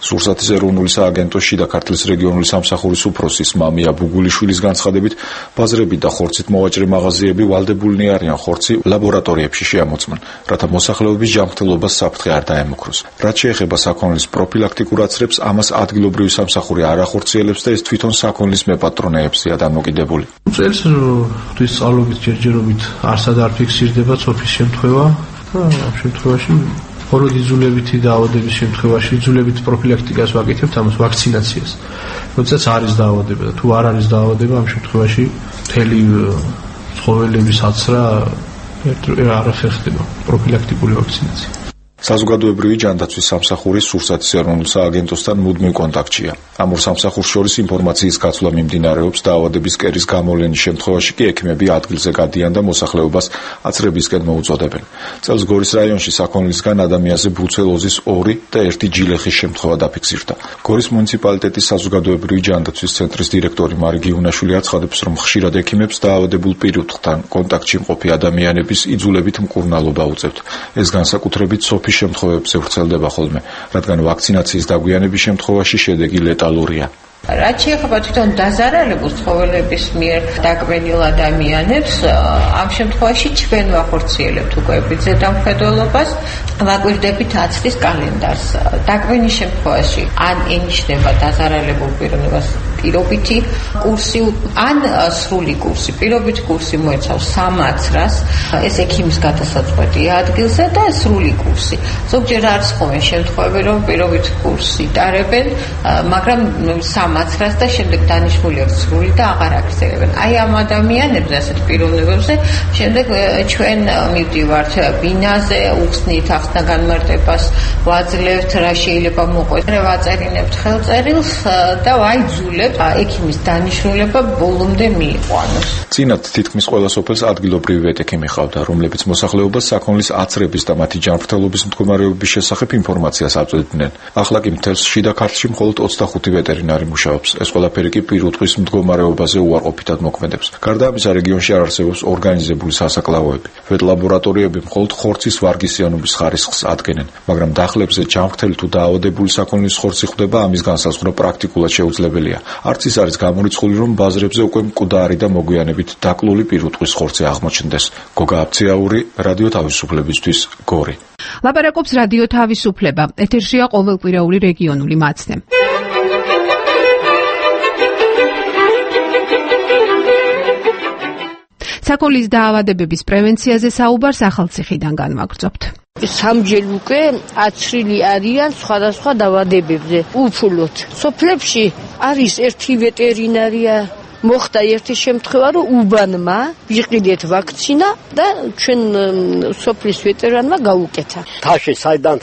სურსათის ეროვნული სააგენტოს შიდა ქართლის რეგიონული სამსახურის უფროსის მამია ბუგულიშვილის განცხადებით, ბაზრები და ხორცით მოვაჭრე მაღაზიები ვალდებულნი არიან ხორცი ლაბორატორიებში შეამოწმონ, რათა მოსახლეობის ჯანმრთელობას საფრთხე არ დაემუქროს. რაც შეეხება საქონლის პროფილაქტიკურ აცრებს, ამას ადგილობრივი სამსახური არ ახორციელებს და ეს თვითონ საქონლის მეპატრონეებზეა დამოკიდებული. წელს ღვთის წყალობით ჯერჯერობით არსად არ ფიქსირდება ცოფის შემთხვევა და ამ შემთხვევაში მხოლოდ იძულებითი დაავადების შემთხვევაში იძულებით პროფილაქტიკას ვაკეთებთ, ამას ვაქცინაციას. როდესაც არის დაავადება და თუ არ არის დაავადება, ამ შემთხვევაში მთელი ცხოველების აცრა არ ხერხდება პროფილაქტიკური ვაქცინაცია. საზოგადოებრივი ჯანდაცვის სამსახური სურსათის ეროვნულ სააგენტოსთან მუდმივ კონტაქტშია. ამ ორ სამსახურს შორის ინფორმაციის გაცვლა მიმდინარეობს დაავადების კერის გამოვლენის შემთხვევაში კი ექიმები ადგილზე გადიან და მოსახლეობას აცრებისკენ მოუწოდებენ. წელს გორის რაიონში საქონლისგან ადამიანზე ბრუცელოზის 2 და 1 ჯილეხის შემთხვევა დაფიქსირდა. გორის მუნიციპალიტეტის საზოგადოებრივი ჯანდაცვის ცენტრის დირექტორი მარი გიუნაშვილი აცხადებს, რომ ხშირად ექიმებს დაავადებულ პირუტყვთან კონტაქტში მყოფი ადამიანების იძულებით მკურნალობა უწევთ. ეს განსაკუთრებით შემთხვევებზე ვრცელდება ხოლმე, რადგან ვაქცინაციის დაგვიანების შემთხვევაში შედეგი ლეტალურია. რაც შეეხება თვითონ დაზარალებულ ცხოველების მიერ დაკვენილ ადამიანებს, ამ შემთხვევაში ჩვენ ვახორციელებთ უკვე ბიძედამხედველობას, ვაკვირდებით აცრის კალენდარს. დაკვენის შემთხვევაში ან ენიშნება დაზარალებულ პიროვნებას პირობითი კურსი, ან სრული კურსი. პირობითი კურსი მოიცავს 3 აცრას, ეს ექიმის გადასაწყვეტია ადგილზე და სრული კურსი. ზოგჯერ არის ხოლმე შემთხვევები, რომ პირობითი კურსი ტარებენ, მაგრამ 3 ამ აცრას და შემდეგ დანიშნული აქვს სრული და აღარ აგრძელებენ. აი ამ ადამიანებზე ასეთ პიროვნებებზე შემდეგ ჩვენ მივდივართ ბინაზე, უხსნით ახსნა განმარტებას, ვაძლევთ რა შეიძლება მოყვეთ. ვაწერინებთ ხელწერილს და ვაიძულებთ ექიმის დანიშნულება ბოლომდე მიიყვანოს. წინათ თითქმის ყველა სოფელს ადგილობრივი ვეტექი მიყავდა, რომლებიც მოსახლეობას საქონლის აცრების და მათი ჯანმრთელობის მდგომარეობის შესახებ ინფორმაციას აწვდიდნენ. ახლა კი მთელს შიდა ქართლში მხოლოდ 25 ვეტერინარი მუშაობს. ეს ყველაფერი კი პირუტყვის მდგომარეობაზე უარყოფითად მოქმედებს. გარდა ამისა, რეგიონში არ არსებობს ორგანიზებული სასაკლაოები. ვეტლაბორატორიები მხოლოდ ხორცის ვარგისიანობის ხარისხს ადგენენ, მაგრამ დახლებზე ჯანმრთელი თუ დაავადებული საქონლის ხორცი ხვდება, ამის განსაზღვრა პრაქტიკულად შეუძლებელია. არც ის არის გამორიცხული, რომ ბაზრებზე უკვე მკვდარი და მოგვიანებით დაკლული პირუტყვის ხორცი აღმოჩნდეს. გოგა აფციაური, რადიო თავისუფლებისთვის, გორი. ლაპარაკობს რადიო თავისუფლება. ეთერშია ყოველკვირეული რეგიონული მაცნე. საქონლის დაავადებების პრევენციაზე საუბარს ახალციხიდან განვაგრძობთ. სამჯერ უკვე აცრილი არიან სხვადასხვა დაავადებებზე. უფულოდ სოფლებში არის ერთი ვეტერინარია. მოხდა ერთი შემთხვევა, რომ უბანმა იყიდეთ ვაქცინა და ჩვენ სოფლის ვეტერანმა გაუკეთა. თაში საიდან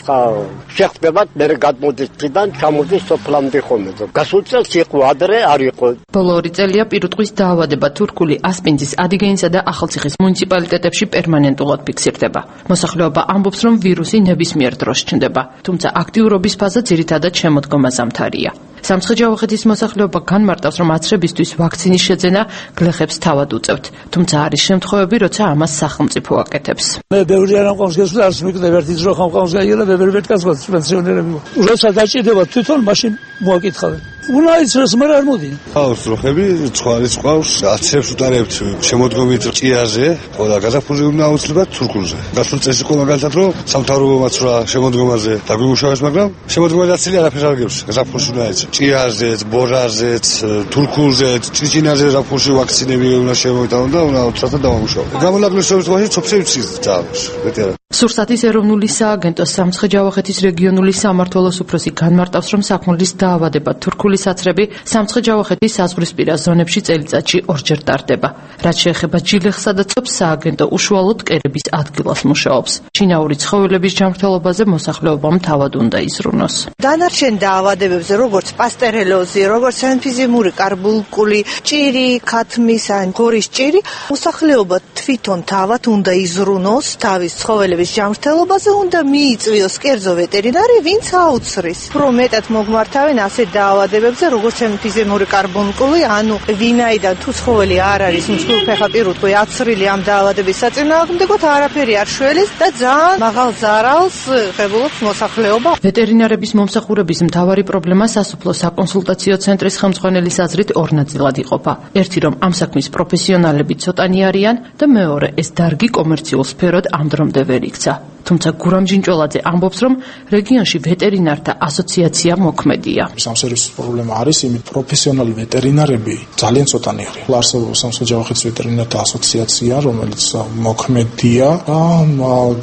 შეხვდებათ, მე გადმოდის დღიდან ჩამოდის სოფლამდე ხოლმე. გასულ წელს იყო, ადრე არ იყო. ბოლო 2 წელია პირუტყვის დაავადება თურქული, ასპინძის, ადიგეინსა და ახალციხის მუნიციპალიტეტებში პერმანენტულად ფიქსირდება. მოსახლეობა ამბობს, რომ ვირუსი ნებისმიერ დროს ჩნდება, თუმცა აქტიურობის ფაზა ძირითადად შემოდგომა ზამთარია. სამცხე-ჯავახეთის მოსახლეობა განმარტავს, რომ აცრებისთვის ვაქცინის შეძენა გლეხებს თავად უწევთ, თუმცა არის შემთხვევები, როცა ამას სახელმწიფო აკეთებს. მე ბევრი არ ამყავს გესვლა, არც მიგდებ ერთი ძრო ხამყავს გაიგელა, ბევრი ვეთკაცված პენსიონერები. როცა დაჭირდება თვითონ, მაშინ მოაკითხავენ. უნაიცროს მერ არ მოდი. ყავს როხები, ცხვარი ყავს, აცრებს უტარებთ შემოდგომით ჭიაზე, ყველა გაზაფხულზე უნდა აუცილებლად თურქულზე. გასულ წელს იყო მაგალითად, რომ სამთავრობოებმაც რა შემოდგომაზე დაგვიმუშავეს, მაგრამ შემოდგომაზე აცილი არაფერს არ გებს. გაზაფხულში უნდა ეცე. ჭიაზეც, ბორაზეც, თურქულზეც, ჭიჭინაზე ზაფხულში ვაქცინები უნდა შემოვიტანონ და უნდა უცრათად დავამუშავოთ. გამონაკლისის შემთხვევაში ცოფსებიც ძაავს, მეტია. სურსათის ეროვნული სააგენტოს სამცხე-ჯავახეთის რეგიონული სამმართველოს უფროსი განმარტავს, რომ საქონლის დაავადება თურქულის აცრები სამცხე-ჯავახეთის საზღვრისპირა ზონებში წელიწადში 2 ჯერ ტარდება. რაც შეეხება ჯილეხსა და ცოფს, სააგენტო უშუალოდ კერების ადგილას მუშაობს. შინაური ცხოველების ჯანმრთელობაზე მოსახლეობამ თავად უნდა იზრუნოს. დანარჩენ დაავადებებზე, როგორც პასტერელოზი, როგორც ემფიზემური კარბულკული, ჭირი, ქათმის ან ღორის ჭირი, მოსახლეობა თვითონ თავად უნდა იზრუნოს თავის ცხოველების ჯანმრთელობაზე, უნდა მიიწვიოს კერძო ვეტერინარი, ვინც აუცრის. უფრო მეტად მოგმართავენ ასეთ დაავადებებზე, როგორც ემფიზემური კარბულკული, ანუ ვინაიდან თუ ცხოველი არ არის მსხვილფეხა პირუტყვი აცრილი ამ დაავადების საწინააღმდეგოდ, არაფერი არ შველის და ძალიან მაღალ ზარალს ღებულობს მოსახლეობა. ვეტერინარების მომსახურების მთავარი პრობლემა სასოფლო საკონსულტაციო ცენტრის ხელმძღვანელის აზრით 2 ნაწილად იყოფა. ერთი, რომ ამ საქმის პროფესიონალები ცოტანი არიან და მეორე, ეს დარგი კომერციულ სფეროდ ამ დრომდე ვერ იქცა. თუმცა გურამ ჯინჭოლაძე ამბობს, რომ რეგიონში ვეტერინართა ასოციაცია მოქმედია. სამსერის პრობლემა არის იმით, პროფესიონალი ვეტერინარები ძალიან ცოტანი არიან. არსებობს სამცხე-ჯავახეთის ვეტერინართა ასოციაცია, რომელიც მოქმედია და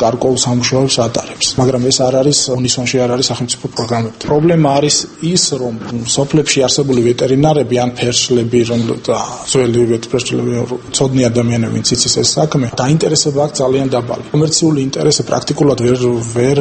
გარკვეულ სამუშაოებს ატარებს. მაგრამ ეს არ არის უნისონში არ არის სახელმწიფო პროგრამები. პრობლემა არის ის, რომ სოფლებში არსებული ვეტერინარები ან ფერშლები, და ძველი ვეტერინარები, ცოდნი ადამიანები, ვინც იცის ეს საქმე, დაინტერესება აქვს ძალიან დაბალი. კომერციული ინტერესი პრაქტიკულად ვერ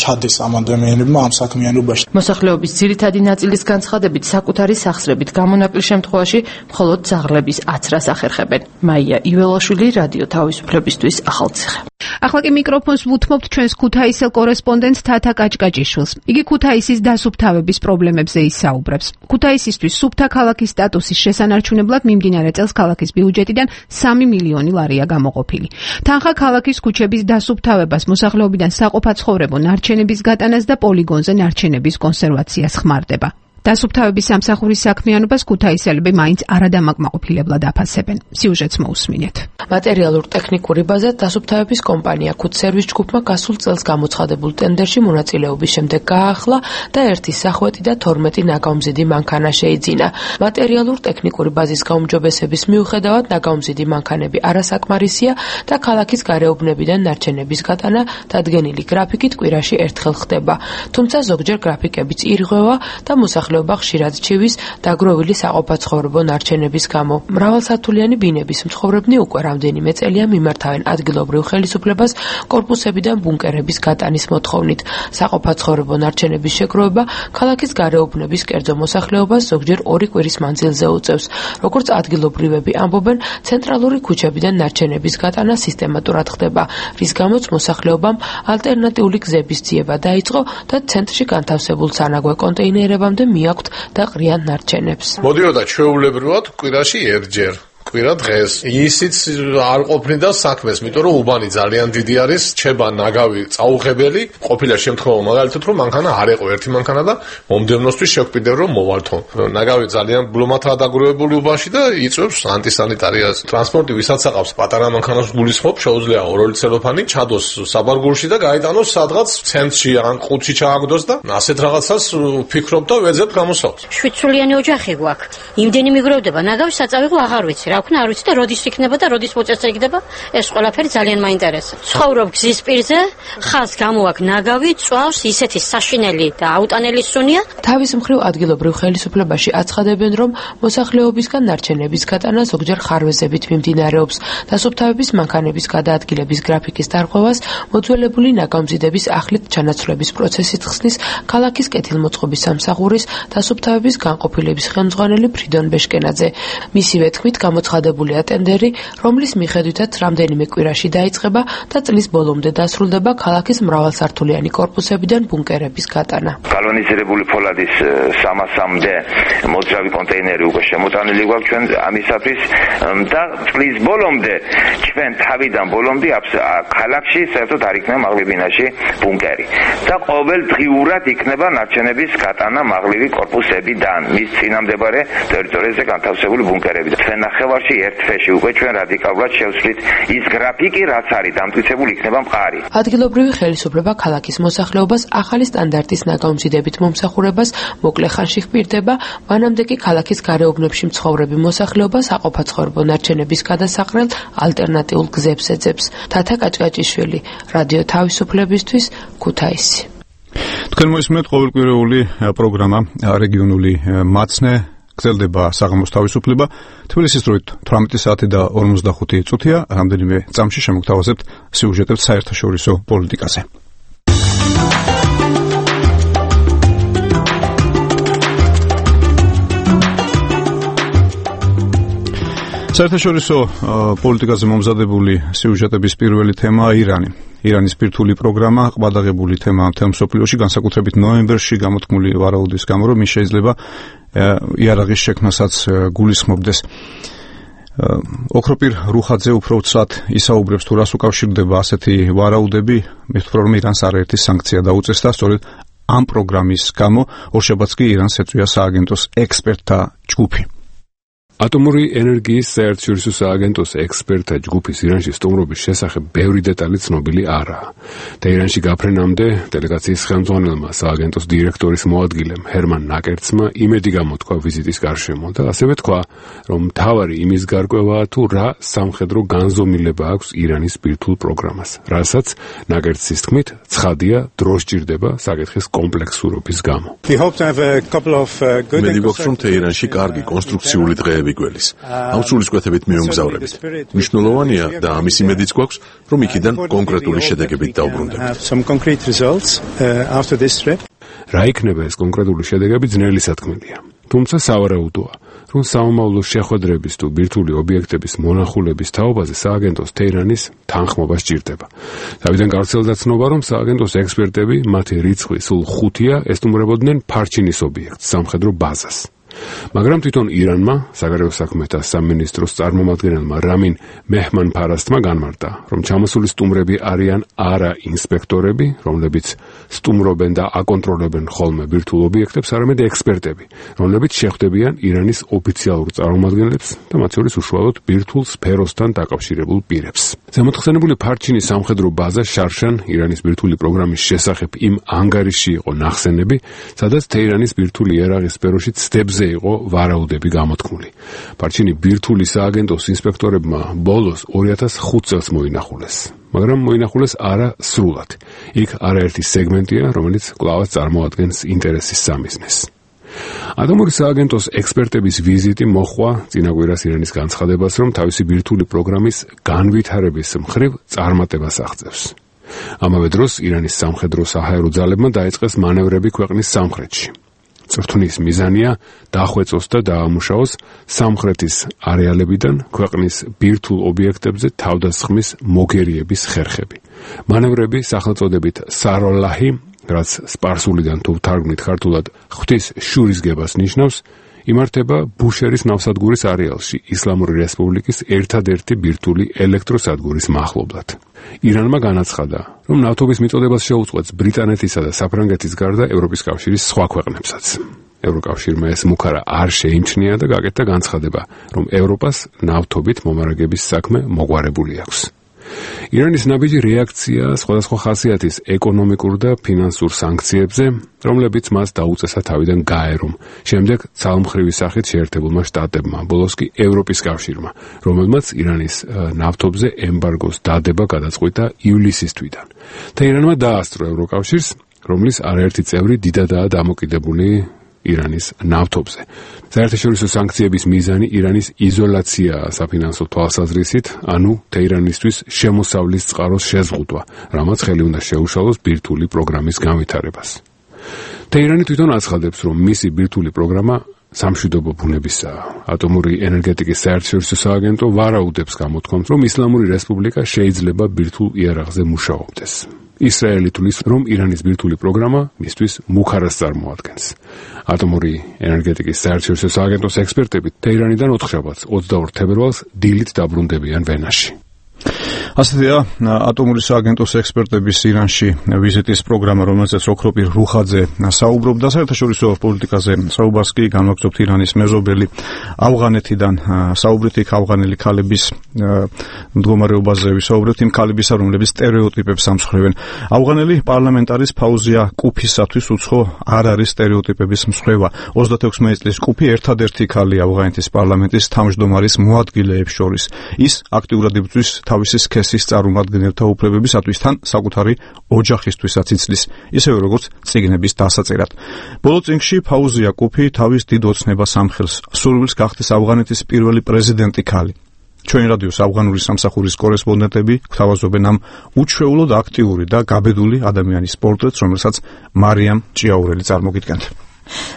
ჩადეს ამ ადამიანებმა ამ საქმიანობაში. მოსახლეობის ძირითადი ნაწილის განცხადებით, საკუთარი სახსრებით გამონაკლის შემთხვევაში მხოლოდ ძაღლების აცრას ახერხებენ. მაია იველაშვილი, რადიო თავისუფლებისთვის, ახალციხე. ახლა კი მიკროფონს ვუთმობთ ჩვენს ქუთაისელ კორესპონდენტ თათა კაჭკაჭიშვილს. იგი ქუთაისის დასუფთავების პრობლემებზე ისაუბრებს. ქუთაისისთვის სუფთა ქალაქის სტატუსის შესანარჩუნებლად მიმდინარე წელს ქალაქის ბიუჯეტიდან 3 მილიონი ლარია გამოყოფილი. თანხა ქალაქის ქუჩების დასუფთავებას, მოსახლეობიდან საყოფაცხოვრებო ნარჩენების გატანას და პოლიგონზე ნარჩენების კონსერვაციას ხმარდება. დასუფთავების სამსახურის საქმიანობას ქუთაისელები მაინც არადამაკმაყოფილებლად აფასებენ. სიუჟეტს მოусმინეთ. მატერიალურ-ტექნიკური ბაზა დასუფთავების კომპანია ქუთსერვის ჯგუფმა გასულ წელს გამოცხადებულ ტენდერში მონაწილეობის შემდეგ გააახლა და 1 სახვეტი და 12 ნაგავმზიდი მანქანა შეიძინა. მატერიალურ-ტექნიკური ბაზის გაუმჯობესების მიუხედავად ნაგავმზიდი მანქანები არასაკმარისია და ქალაქის გარეუბნებიდან ნარჩენების გატანა დადგენილი გრაფიკით კვირაში ერთხელ ხდება. თუმცა ზოგჯერ გრაფიკებიც ირღვევა და მოსახლეობა მოსახლეობა ხშირად ჩივის დაგროვილი საყოფაცხოვრებო ნარჩენების გამო. მრავალსართულიანი ბინების მცხოვრებნი უკვე რამდენიმე წელია მიმართავენ ადგილობრივ ხელისუფლებას კორპუსებიდან ბუნკერების გატანის მოთხოვნით. საყოფაცხოვრებო ნარჩენების შეგროვება ქალაქის გარეუბნების კერძო მოსახლეობას ზოგჯერ 2 კვირის მანძილზე უწევს. როგორც ადგილობრივები ამბობენ, ცენტრალური ქუჩებიდან ნარჩენების გატანა სისტემატურად ხდება, რის გამოც მოსახლეობამ ალტერნატიული გზების ძიება დაიწყო და ცენტრში განთავსებულ სანაგვე კონტეინერებამდე მიაქვთ და ყრიან ნარჩენებს. მოდიოდა ჩვეულებრივად კვირაში ერთჯერ. კვირა დღეს ისიც არ ყოფნიდა საქმეს, იმიტომ რომ უბანი ძალიან დიდი არის, ჩება ნაგავი წაუღებელი, ყოფილა შემთხვევა მაგალითად რომ მანქანა არ ეყო ერთი მანქანა და მომდევნოსთვის შევკვიდებ რომ მოვალთო. ნაგავი ძალიან ბლომათაა დაგროვებული უბანში და იწვევს ანტისანიტარიას. ტრანსპორტი ვისაც აყავს პატარა მანქანას გულისხმობ, შეუძლია ორ-ორი ცელოფანი ჩადოს საბარგულში და გაიტანოს სადღაც ცენტრში ან ყუთში ჩააგდოს და ასეთ რაღაცას ვფიქრობ და ვეძებ გამოსავალს. 7 სულიანი ოჯახი გვაქვს. იმდენი მიგროვდება ნაგავი საწავიღო აღარ ვიცი. რა ვქნა არ ვიცი და როდის იქნება და როდის მოწესრიგ იქნება, ეს ყველაფერი ძალიან მაინტერესებს. ცხოვრობ გზის პირზე, ხაზ გამოაქვს ნაგავი, წვავს ისეთი საშინელი და აუტანელი სუნია. თავის მხრივ ადგილობრივ ხელისუფლებაში აცხადებენ, რომ მოსახლეობისგან ნარჩენების გატანა ზოგჯერ ხარვეზებით მიმდინარეობს. დასუფთავების მანქანების გადაადგილების გრაფიკის დარღვევას მოძველებული ნაგავმზიდების ახლით ჩანაცვლების პროცესით ხსნის ქალაქის კეთილმოწყობის სამსახურის დასუფთავების განყოფილების ხელმძღვანელი ფრიდონ ბეშკენაძე. მისივე თქმით, გამოცხადებულია ტენდერი, რომლის მიხედვითაც რამდენიმე კვირაში დაიწყება და წლის ბოლომდე დასრულდება ქალაქის მრავალსართულიანი კორპუსებიდან ბუნკერების გატანა. კალონიზირებული ფოლადის 300-მდე მოძრავი კონტეინერი უკვე შემოტანილი გვაქვს ჩვენ ამისათვის და წლის ბოლომდე ჩვენ თავიდან ბოლომდე ქალაქში საერთოდ არ იქნება მაღლიბინაში ბუნკერი და ყოველდღიურად იქნება ნარჩენების გატანა მაღლივი კორპუსებიდან მის წინამდებარე ტერიტორიაზე განთავსებული ბუნკერები. ჩვენ ნახევარში ერთ თვეში უკვე ჩვენ რადიკალურად შევსვლით ის გრაფიკი, რაც არის დამტკიცებული იქნება მყარი. ადგილობრივი ხელისუფლება ქალაქის მოსახლეობას ახალი სტანდარტის ნაგავმზიდებით მომსახურებას მოკლე ხანში ჰპირდება, მანამდე კი ქალაქის გარეუბნებში მცხოვრები მოსახლეობა საყოფაცხოვრებო ნარჩენების გადასაყრელ ალტერნატიულ გზებს ეძებს. თათა კაჭკაჭიშვილი, რადიო თავისუფლებისთვის, ქუთაისი. თქვენ მოისმენთ ყოველკვირეული პროგრამა რეგიონული მაცნე გრძელდება საღამოს თავისუფლება. თბილისის დროით 18 საათი და 45 წუთია. რამდენიმე წამში შემოგთავაზებთ სიუჟეტებს საერთაშორისო პოლიტიკაზე. საერთაშორისო პოლიტიკაზე მომზადებული სიუჟეტების პირველი თემაა ირანი. ირანის ბირთვული პროგრამა ყბადაღებული თემაა მთელ მსოფლიოში, განსაკუთრებით ნოემბერში გამოთქმული ვარაუდის გამო, რომ ის შეიძლება იარაღის შექმნასაც გულისხმობდეს. ოქროპირ რუხაძე უფრო უცბად ისაუბრებს თუ რას უკავშირდება ასეთი ვარაუდები, მითხრა რომ ირანს არაერთი სანქცია დაუწეს და სწორედ ამ პროგრამის გამო ორშაბათს კი ირანს ეწვია სააგენტოს ექსპერტთა ჯგუფი. ატომური ენერგიის საერთაშორისო სააგენტოს ექსპერტთა ჯგუფის ირანში სტუმრობის შესახებ ბევრი დეტალი ცნობილი არაა. და ირანში გაფრენამდე დელეგაციის ხელმძღვანელმა სააგენტოს დირექტორის მოადგილემ ჰერმან ნაკერცმა იმედი გამოთქვა ვიზიტის გარშემო და ასევე თქვა, რომ მთავარი იმის გარკვევაა თუ რა სამხედრო განზომილება აქვს ირანის ბირთვულ პროგრამას, რასაც ნაკერცის თქმით ცხადია დრო სჭირდება საკითხის კომპლექსურობის გამო. მე მგონი რომ თეირანში კარგი კონსტრუქციული დღეები გველის. ამ სულისკვეთებით მივმგზავრებით. მნიშვნელოვანია და ამის იმედიც გვაქვს, რომ იქიდან კონკრეტული შედეგებით დავბრუნდებთ. რა იქნება ეს კონკრეტული შედეგები ძნელი სათქმელია. თუმცა სავარაუდოა, რომ საომავლო შეხვედრების თუ ბირთვული ობიექტების მონახულების თაობაზე სააგენტოს თეირანის თანხმობა სჭირდება. თავიდან გავრცელდა ცნობა, რომ სააგენტოს ექსპერტები, მათი რიცხვი სულ 5-ია, ესტუმრებოდნენ ფარჩინის ობიექტს, სამხედრო ბაზას. მაგრამ თვითონ ირანმა, საგარეო საქმეთა სამინისტროს წარმომადგენელმა რამინ მეჰმან ფარასტმა განმარტა, რომ ჩამოსული სტუმრები არიან არა ინსპექტორები, რომლებიც სტუმრობენ და აკონტროლებენ ხოლმე ბირთვულ ობიექტებს, არამედ ექსპერტები, რომლებიც შეხვდებიან ირანის ოფიციალურ წარმომადგენლებს და მათ შორის უშუალოდ ბირთვულ სფეროსთან დაკავშირებულ პირებს. ზემოთხსენებული ფარჩინის სამხედრო ბაზა შარშან ირანის ბირთვული პროგრამის შესახებ იმ ანგარიში იყო ნახსენები, სადაც თეირანის ბირთვული იარაღის სფეროში ცდებზე იყო ვარაუდები გამოთქმული. ფარჩინი ბირთვული სააგენტოს ინსპექტორებმა ბოლოს 2005 წელს მოინახულეს, მაგრამ მოინახულეს არა სრულად. იქ არაერთი სეგმენტია, რომელიც კვლავაც წარმოადგენს ინტერესის სამიზნეს. ატომური სააგენტოს ექსპერტების ვიზიტი მოჰყვა წინაკვირას ირანის განცხადებას, რომ თავისი ბირთვული პროგრამის განვითარების მხრივ წარმატებას აღწევს. ამავე დროს ირანის სამხედრო-საჰაერო ძალებმა დაიწყეს მანევრები ქვეყნის სამხრეთში. წვრთნის მიზანია დახვეწოს და დაამუშავოს სამხრეთის არეალებიდან ქვეყნის ბირთვულ ობიექტებზე თავდასხმის მოგერიების ხერხები. მანევრები სახელწოდებით საროლაჰი, რაც სპარსულიდან თუ თარგმნით ქართულად ღვთის შურისგებას ნიშნავს, იმართება ბუშერის ნავსადგურის არეალში, ისლამური რესპუბლიკის ერთადერთი ბირთვული ელექტროსადგურის მახლობლად. ირანმა განაცხადა, რომ ნავთობის მიწოდებას შეუწყვეტს ბრიტანეთისა და საფრანგეთის გარდა ევროპის კავშირის სხვა ქვეყნებსაც. ევროკავშირმა ეს მუქარა არ შეიმჩნია და გაკეთდა განცხადება, რომ ევროპას ნავთობით მომარაგების საქმე მოგვარებული აქვს. ირანის ნაბიჯი რეაქცია სხვადასხვა ხასიათის ეკონომიკურ და ფინანსურ სანქციებზე, რომლებიც მას დაუწესა თავიდან გაერომ, შემდეგ ცალმხრივი სახით შეერთებულმა შტატებმა, ბოლოს კი ევროპის კავშირმა, რომელმაც ირანის ნავთობზე ემბარგოს დადება გადაწყვიტა ივლისის თვიდან. თეირანმა დაასწრო ევროკავშირს, რომლის არაერთი წევრი დიდადაა დამოკიდებული ირანის ნავთობზე. საერთაშორისო სანქციების მიზანი ირანის იზოლაციაა საფინანსო თვალსაზრისით, ანუ თეირანისთვის შემოსავლის წყაროს შეზღუდვა, რამაც ხელი უნდა შეუშალოს ბირთვული პროგრამის განვითარებას. თეირანი თვითონ აცხადებს, რომ მისი ბირთვული პროგრამა სამშვიდობო ბუნებისაა. ატომური ენერგეტიკის საერთაშორისო სააგენტო ვარაუდებს გამოთქვამს, რომ ისლამური რესპუბლიკა შეიძლება ბირთვულ იარაღზე მუშაობდეს. ისრაელი თვლის, რომ ირანის ბირთვული პროგრამა მისთვის მუქარას წარმოადგენს. ატომური ენერგეტიკის საერთაშორისო სააგენტოს ექსპერტები თეირანიდან ოთხშაბათს 22 თებერვალს დილით დაბრუნდებიან ვენაში. ასეთია ატომური სააგენტოს ექსპერტების ირანში ვიზიტის პროგრამა, რომელზეც ოქროპირ რუხაძე საუბრობდა. საერთაშორისო პოლიტიკაზე საუბარს კი განვაგრძობთ ირანის მეზობელი ავღანეთიდან საუბრით, იქ ავღანელი ქალების მდგომარეობაზე ვისაუბრებთ, იმ ქალებისა, რომლებიც სტერეოტიპებს ამსხვევენ. ავღანელი პარლამენტარის ფაუზია კუფისათვის უცხო არ არის სტერეოტიპების მსხვევა. 36 წლის კუფი ერთადერთი ქალი ავღანეთის პარლამენტის თავმჯდომარის მოადგილეებს შორის. ის აქტიურად იბრძვის თავისი სქესის წარმომადგენელთა უფლებებისათვის, თან საკუთარი ოჯახისთვისაც იცლის, ისევე როგორც წიგნების დასაწერად. ბოლო წიგნში ფაუზია კუფი თავის დიდ ოცნებას ამხელს, სურვილს გახდეს ავღანეთის პირველი პრეზიდენტი ქალი. ჩვენ რადიოს ავღანური სამსახურის კორესპონდენტები გვთავაზობენ ამ უჩვეულოდ აქტიური და გაბედული ადამიანის პორტრეტს, რომელსაც მარიამ ჭიაურელი წარმოგიდგენთ.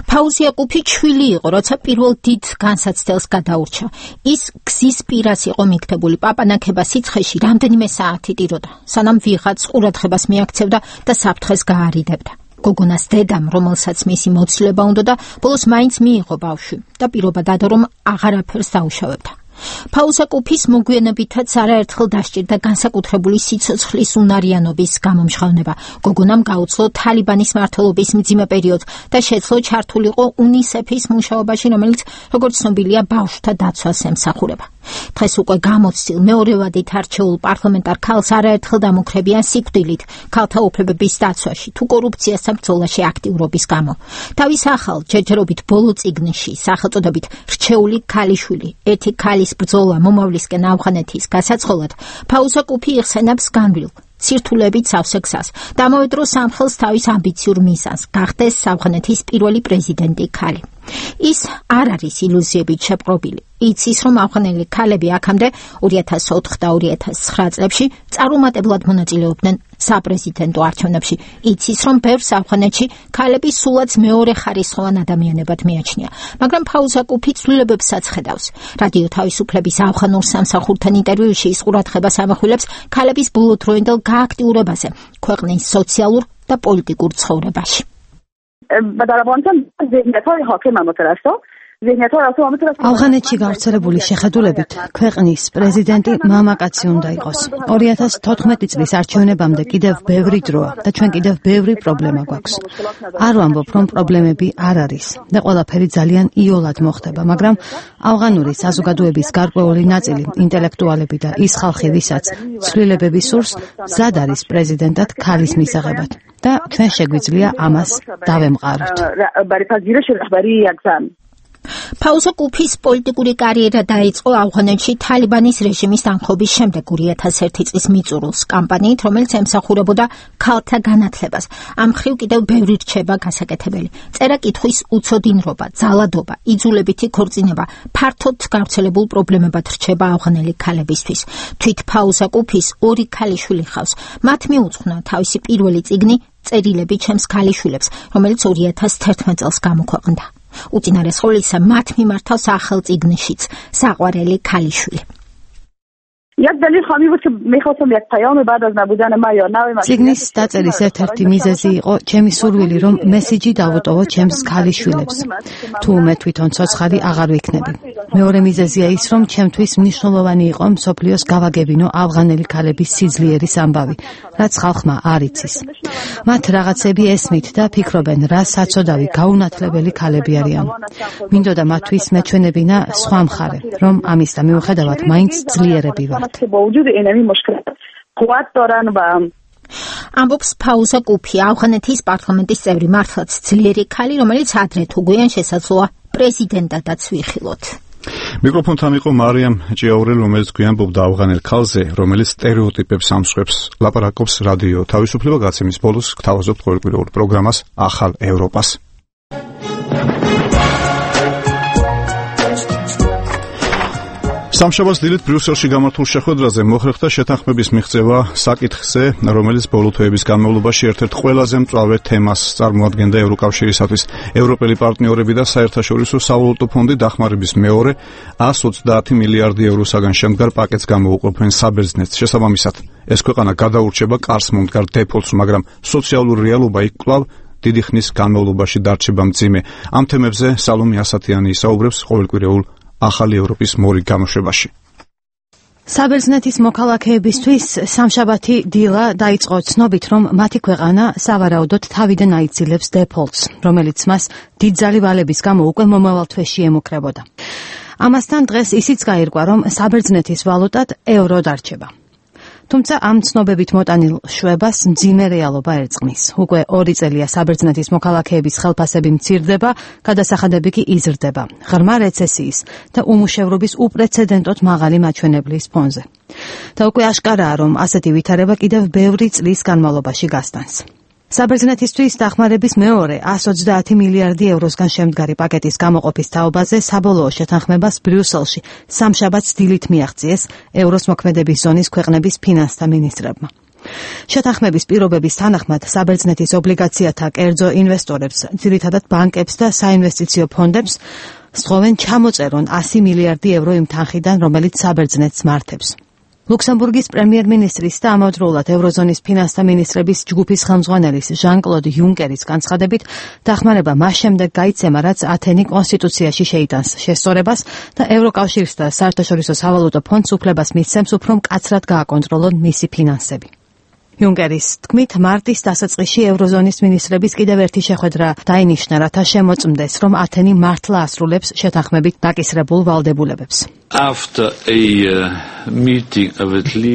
ფაუზია კუფი ჩვილი იყო, როცა პირველ დიდ განსაცდელს გადაურჩა. ის გზის პირას იყო მიგდებული, პაპანაქება სიცხეში რამდენიმე საათი ტიროდა, სანამ ვიღაც ყურადღებას მიაქცევდა და საფრთხეს გაარიდებდა. გოგონას დედამ, რომელსაც მისი მოცილება უნდოდა, ბოლოს მაინც მიიღო ბავშვი და პირობა დადო, რომ აღარაფერს დაუშავებდა. ფაუზია კუფის მოგვიანებითაც არაერთხელ დასჭირდა განსაკუთრებული სიცოცხლის უნარიანობის გამომჟღავნება. გოგონამ გაუძლო თალიბანის მმართველობის მძიმე პერიოდს და შეძლო ჩართულიყო უნისეფის მუშაობაში, რომელიც, როგორც ცნობილია, ბავშვთა დაცვას ემსახურება. დღეს უკვე გამოცდილ მეორე ვადით არჩეულ პარლამენტარ ქალს არაერთხელ დამუქრებიან სიკვდილით ქალთა უფლებების დაცვაში თუ კორუფციასთან ბრძოლაში აქტიურობის გამო. თავის ახალ ჯერჯერობით ბოლო წიგნში, სახელწოდებით რჩეული ქალიშვილი, ერთი ქალის ბრძოლა მომავლისკენ ავღანეთის გასაცხოლად, ფაუზია კუფი იხსენებს განვლილ ცირთულებით სავსე გზას და ამავე დროს ამხელს თავის ამბიციურ მიზანს გახდეს ავღანეთის პირველი პრეზიდენტი ქალი. ის არ არის ილუზიებით შეპყრობილი. იცის, რომ ავღანელი ქალები აქამდე 2004 და 2009 წლებში წარუმატებლად მონაწილეობდნენ საპრეზიდენტო არჩევნებში. იცის, რომ ბევრს ავღანეთში ქალები სულაც მეორე ხარისხოვან ადამიანებად მიაჩნია, მაგრამ ფაუზია კუფი ცვლილებებსაც ხედავს. რადიო თავისუფლების ავღანურ სამსახურთან ინტერვიუში ის ყურადღებას ამახვილებს ქალების ბოლოდროინდელ გააქტიურებაზე ქვეყნის სოციალურ და პოლიტიკურ ცხოვრებაში. ავღანეთში გავრცელებული შეხედულებით ქვეყნის პრეზიდენტი მამაკაცი უნდა იყოს. 2014 წლის არჩევნებამდე კიდევ ბევრი დროა და ჩვენ კიდევ ბევრი პრობლემა გვაქვს. არ ვამბობ, რომ პრობლემები არ არის და ყველაფერი ძალიან იოლად მოხდება, მაგრამ ავღანური საზოგადოების გარკვეული ნაწილი, ინტელექტუალები და ის ხალხი, ვისაც ცვლილებები სურს, მზად არის პრეზიდენტად ქალის მისაღებად და ჩვენ შეგვიძლია ამას დავემყაროთ. ფაუზაკუფის პოლიტიკური კარიერა დაიწყო ავღანეთში თალიბანის რეჟიმის დამხობის შემდეგ 2001 წლის მიწურულს კამპანიით, რომელიც ემსახურებოდა ქალთა განათლებას. ამ მხრივ კიდევ ბევრი რჩება გასაკეთებელი. წერა-კითხვის უცოდინრობა, ძალადობა, იძულებითი ქორწინება ფართოდ გავრცელებულ პრობლემებად რჩება ავღანელი ქალებისთვის. თვით ფაუზაკუფის 2 ქალიშვილი ჰყავს. მათ მიუძღვნა თავისი პირველი წიგნი წერილები ჩემს ქალიშვილებს, რომელიც 2011 წელს გამოქვეყნდა. უწინარესხოლისა მათ მიმართავს ახალ წიგნშიც საყვარელი ქალიშვილი. წიგნის დაწერის ერთ-ერთი მიზეზი იყო ჩემი სურვილი, რომ მესიჯი დავუტოვო ჩემს ქალიშვილებს. თუ მე თვითონ ცოცხალი აღარ ვიქნები. მეორე მიზეზია ის, რომ ჩემთვის მნიშვნელოვანი იყო მსოფლიოს გავაგებინო ავღანელი ქალების სიძლიერის ამბავი, რაც ხალხმა არ იცის. მათ რაღაცები ესმით და ფიქრობენ, რა საწოდავი გაუნათლებელი ქალები არიან. მინდოდა მათთვის მეჩვენებინა სხვა მხარე, რომ ამის და მიუხედავად მაინც ძლიერები ვართ. ამბობს ფაუზაკუფი, ავღანეთის პარლამენტის წევრი, მართლაც ძლიერი ქალი, რომელიც ადრე თუ გვიან შესაძლოა პრეზიდენტადაც ვიხილოთ. მიკროფონთან იყო მარიამ ჭიაურელი, რომელიც გვიანბობდა ავღანელ ქალზე, რომელიც სტერეოტიპებს ამსხვებს. ლაპარაკობს რადიო თავისუფლება გაცემის ბოლოს გთავაზობთ ყოველკვირეულ პროგრამას ახალ ევროპას. სამშაბათს დილით ბრიუსელში გამართულ შეხვედრაზე მოხერხდა შეთანხმების მიღწევა საკითხზე, რომელიც ბოლო თვეების განმავლობაში ერთ-ერთ ყველაზე მწვავე თემას წარმოადგენდა ევროკავშირისათვის. ევროპელი პარტნიორები და საერთაშორისო სავალუტო ფონდი დახმარების მეორე 130 მილიარდი ევროსაგან შემდგარ პაკეტს გამოუყოფენ საბერძნეთს. შესაბამისად, ეს ქვეყანა გადაურჩება კარს მომდგარ დეფოლტს, მაგრამ სოციალური რეალობა იქ კვლავ დიდი ხნის განმავლობაში დარჩება მძიმე. ამ თემებზე სალომე ასათიანი ისაუბრებს ყოველკვირეულ ახალი ევროპის მორიგ გამოშვებაში. საბერძნეთის მოქალაქეებისთვის სამშაბათი დილა დაიწყო ცნობით, რომ მათი ქვეყანა სავარაუდოდ თავიდან აიცილებს დეფოლტს, რომელიც მას დიდძალი ვალების გამო უკვე მომავალ თვეში ემუქრებოდა. ამასთან დღეს ისიც გაირკვა, რომ საბერძნეთის ვალუტად ევრო დარჩება. თუმცა ამ ცნობებით მოტანილ შვებას მძიმე რეალობა ერწყმის. უკვე 2 წელია საბერძნეთის მოქალაქეების ხელფასები მცირდება, გადასახადები კი იზრდება, ღრმა რეცესიის და უმუშევრობის უპრეცედენტოდ მაღალი მაჩვენებლის ფონზე. და უკვე აშკარაა, რომ ასეთი ვითარება კიდევ ბევრი წლის განმავლობაში გასტანს. საბერძნეთისთვის დახმარების მეორე 130 მილიარდი ევროსგან შემდგარი პაკეტის გამოყოფის თაობაზე საბოლოო შეთანხმებას ბრიუსელში სამშაბათს დილით მიაღწიეს ევროს მოქმედების ზონის ქვეყნების ფინანსთა მინისტრებმა. შეთანხმების პირობების თანახმად საბერძნეთის ობლიგაციათა კერძო ინვესტორებს, ძირითადად ბანკებს და საინვესტიციო ფონდებს სწხოვენ ჩამოწერონ 100 მილიარდი ევრო იმ თანხიდან, რომელიც საბერძნეთს მართებს. ლუქსემბურგის პრემიერ-მინისტრის და ამავდროულად ევროზონის ფინანსთა მინისტრების ჯგუფის ხელმძღვანელის ჟან-კლოდ იუნკერის განცხადებით, დახმარება მას შემდეგ გაიცემა, რაც ათენი კონსტიტუციაში შეიტანს შესწორებას და ევროკავშირს და საერთაშორისო სავალუტო ფონდს უფლებას მისცემს უფრო მკაცრად გააკონტროლონ მისი ფინანსები. იუნკერის თქმით, მარტის დასაწყისში ევროზონის მინისტრების კიდევ ერთი შეხვედრა დაინიშნა, რათა შემოწმდეს, რომ ათენი მართლა ასრულებს შეთანხმებით დაკისრებულ ვალდებულებებს.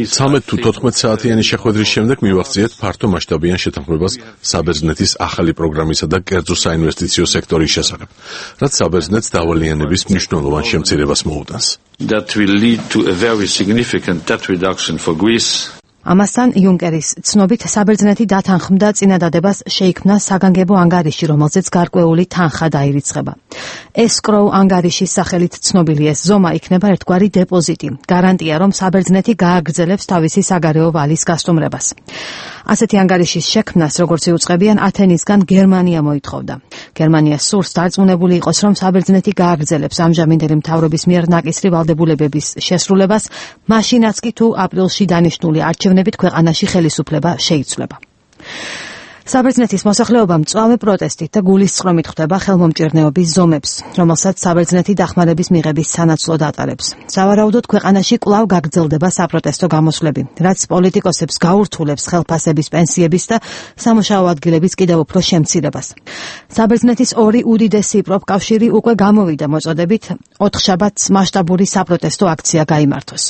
13 თუ 14 საათიანი შეხვედრის შემდეგ მივახციეთ ფართო მასშტაბიან შეთანხმებას საბერძნეთის ახალი პროგრამისა და კერძო საინვესტიციო სექტორის შესახებ, რაც საბერძნეთს დავალიანების მნიშვნელოვან შემცირებას მოუტანს. That will lead to a very significant debt reduction for Greece. ამასთან იუნკერის ცნობით საბერძნეთი დათანხმდა წინადადებას შეიქმნა საგანგებო ანგარიში, რომელზეც გარკვეული თანხა დაირიცხება. ესკროუ ანგარიშის სახელით ცნობილი ეს ზომა იქნება ერთგვარი დეპოზიტი, გარანტია, რომ საბერძნეთი გააგრძელებს თავისი საგარეო ვალის გასტუმრებას. ასეთი ანგარიშის შექმნას, როგორც იუწყებიან, ათენისგან გერმანია მოითხოვდა. გერმანია სურს დარწმუნებული იყოს, რომ საბერძნეთი გააგრძელებს ამჟამინდელი მთავრობის მიერ ნაკისრი ვალდებულებების შესრულებას, მაშინაც კი თუ აპრილში დანიშნული არჩევნებით ქვეყანაში ხელისუფლება შეიცვლება. საბერძნეთის მოსახლეობა მწვავე პროტესტით და გულისწყრომით ხვდება ხელმომჭირნეობის ზომებს, რომელსაც საბერძნეთი დახმარების მიღების სანაცვლოდ ატარებს. სავარაუდოდ ქვეყანაში კვლავ გაგრძელდება საპროტესტო გამოსვლები, რაც პოლიტიკოსებს გაურთულებს ხელფასების, პენსიების და სამუშაო ადგილების კიდევ უფრო შემცირებას. საბერძნეთის ორი უდიდესი პროფკავშირი უკვე გამოვიდა მოწოდებით 4 შაბათს მასშტაბური საპროტესტო აქცია გაიმართოს.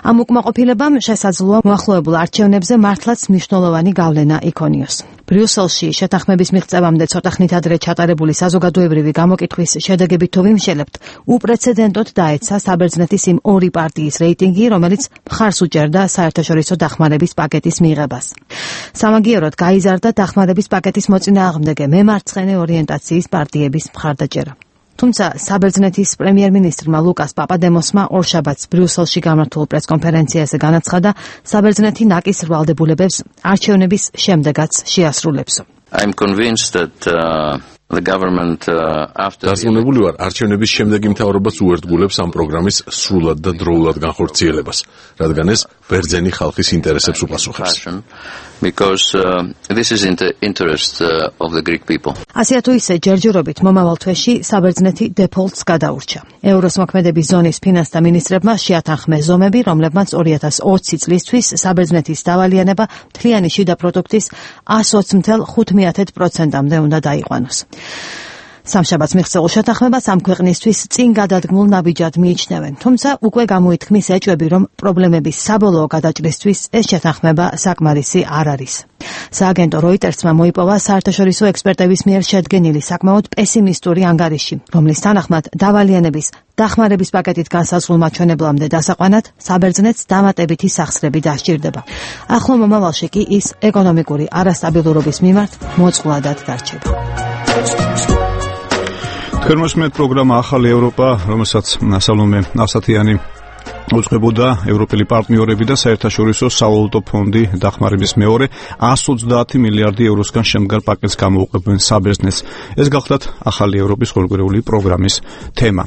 ამ უკმაყოფილებამ შესაძლოა მოახლოებულ არჩევნებზე მართლაც მნიშვნელოვანი გავლენა იქონიოს. ბრიუსელში შეთანხმების მიღწევამდე ცოტა ხნით ადრე ჩატარებული საზოგადოებრივი გამოკითხვის შედეგებით თუ ვიმშელებთ, უპრეცედენტოდ დაეცა საბერძნეთის იმ ორი პარტიის რეიტინგი, რომელიც მხარს უჭერდა საერთაშორისო დახმარების პაკეტის მიღებას. სამაგიეროდ გაიზარდა დახმარების პაკეტის მოწინააღმდეგე მემარცხენე ორიენტაციის პარტიების მხარდაჭერა. თუმცა საბერძნეთის პრემიერ-მინისტრმა ლუკას პაპადემოსმა ორშაბათს ბრიუსელში გამართულ პრესკონფერენციაზე განაცხადა, საბერძნეთი ნაკის ვალდებულებებს არჩევნების შემდეგაც შეასრულებსო. I'm convinced that the government დასრულებული ვარ, არჩევნების შემდეგი მთავრობაც უერთგულებს ამ პროგრამის სრულად და დროულად განხორციელებას, რადგან ეს ბერძენი ხალხის ინტერესებს უპასუხებს. Because this is in the interest of the Greek people. ასე თუ ისე ჯერჯერობით მომავალ თვეში საბერძნეთი დეფოლტს გადაურჩა. ევროს მოქმედების ზონის ფინანსთა მინისტრებმა შეათანხმეს ზომები, რომლებმაც 2020 წლისთვის საბერძნეთის დავალიანება მთლიანი შიდა პროდუქტის 120.5%-მდე უნდა დაიყვანოს. სამშაბათს მიღწეულ შეთანხმებას ამ ქვეყნისთვის წინ გადადგმულ ნაბიჯად მიიჩნევენ, თუმცა უკვე გამოითქმის ეჭვები, რომ პრობლემების საბოლოო გადაჭრისთვის ეს შეთანხმება საკმარისი არ არის. სააგენტო როიტერსმა მოიპოვა საერთაშორისო ექსპერტების მიერ შედგენილი საკმაოდ პესიმისტური ანგარიში, რომლის თანახმად დავალიანების დახმარების პაკეტით განსაზღვრულ მაჩვენებლამდე დასაყვანად საბერძნეთს დამატებითი სახსრები დასჭირდება. ახლო მომავალში კი ის ეკონომიკური არასტაბილურობის მიმართ მოწყვლადად დარჩება. თერმოსმეტ პროგრამა ახალი ევროპა, რომელსაც სალომე ასათიანი უწყებოდა ევროპელი პარტნიორები და საერთაშორისო სავალუტო ფონდი დახმარების მეორე 130 მილიარდი ევროსგან შემდგარ პაკეტს გამოუყენებენ საბერძნეთს. ეს გახლდათ ახალი ევროპის ხორგრეული პროგრამის თემა.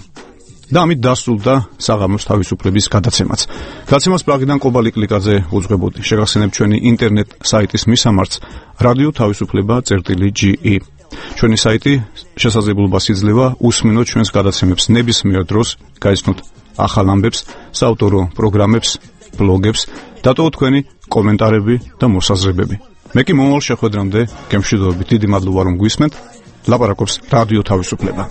და ამით დასრულდა საღამოს თავისუფლების გადაცემაც. გადაცემას პრაღიდან კობალი კლიკაძე უძღვებოდი. შეგახსენებთ ჩვენი ინტერნეტ საიტის მისამართს radio-ge. ჩვენი საიტი შესაძლებლობას იძლევა უსმინოთ ჩვენს გადაცემებს ნებისმიერ დროს, გაიცნოთ ახალ ამბებს, საავტორო პროგრამებს, ბლოგებს, დატოვოთ თქვენი კომენტარები და მოსაზრებები. მე კი მომავალ შეხვედრამდე გემშვიდობებით, დიდი მადლობა რომ გვისმენთ. ლაპარაკობს რადიო თავისუფლება.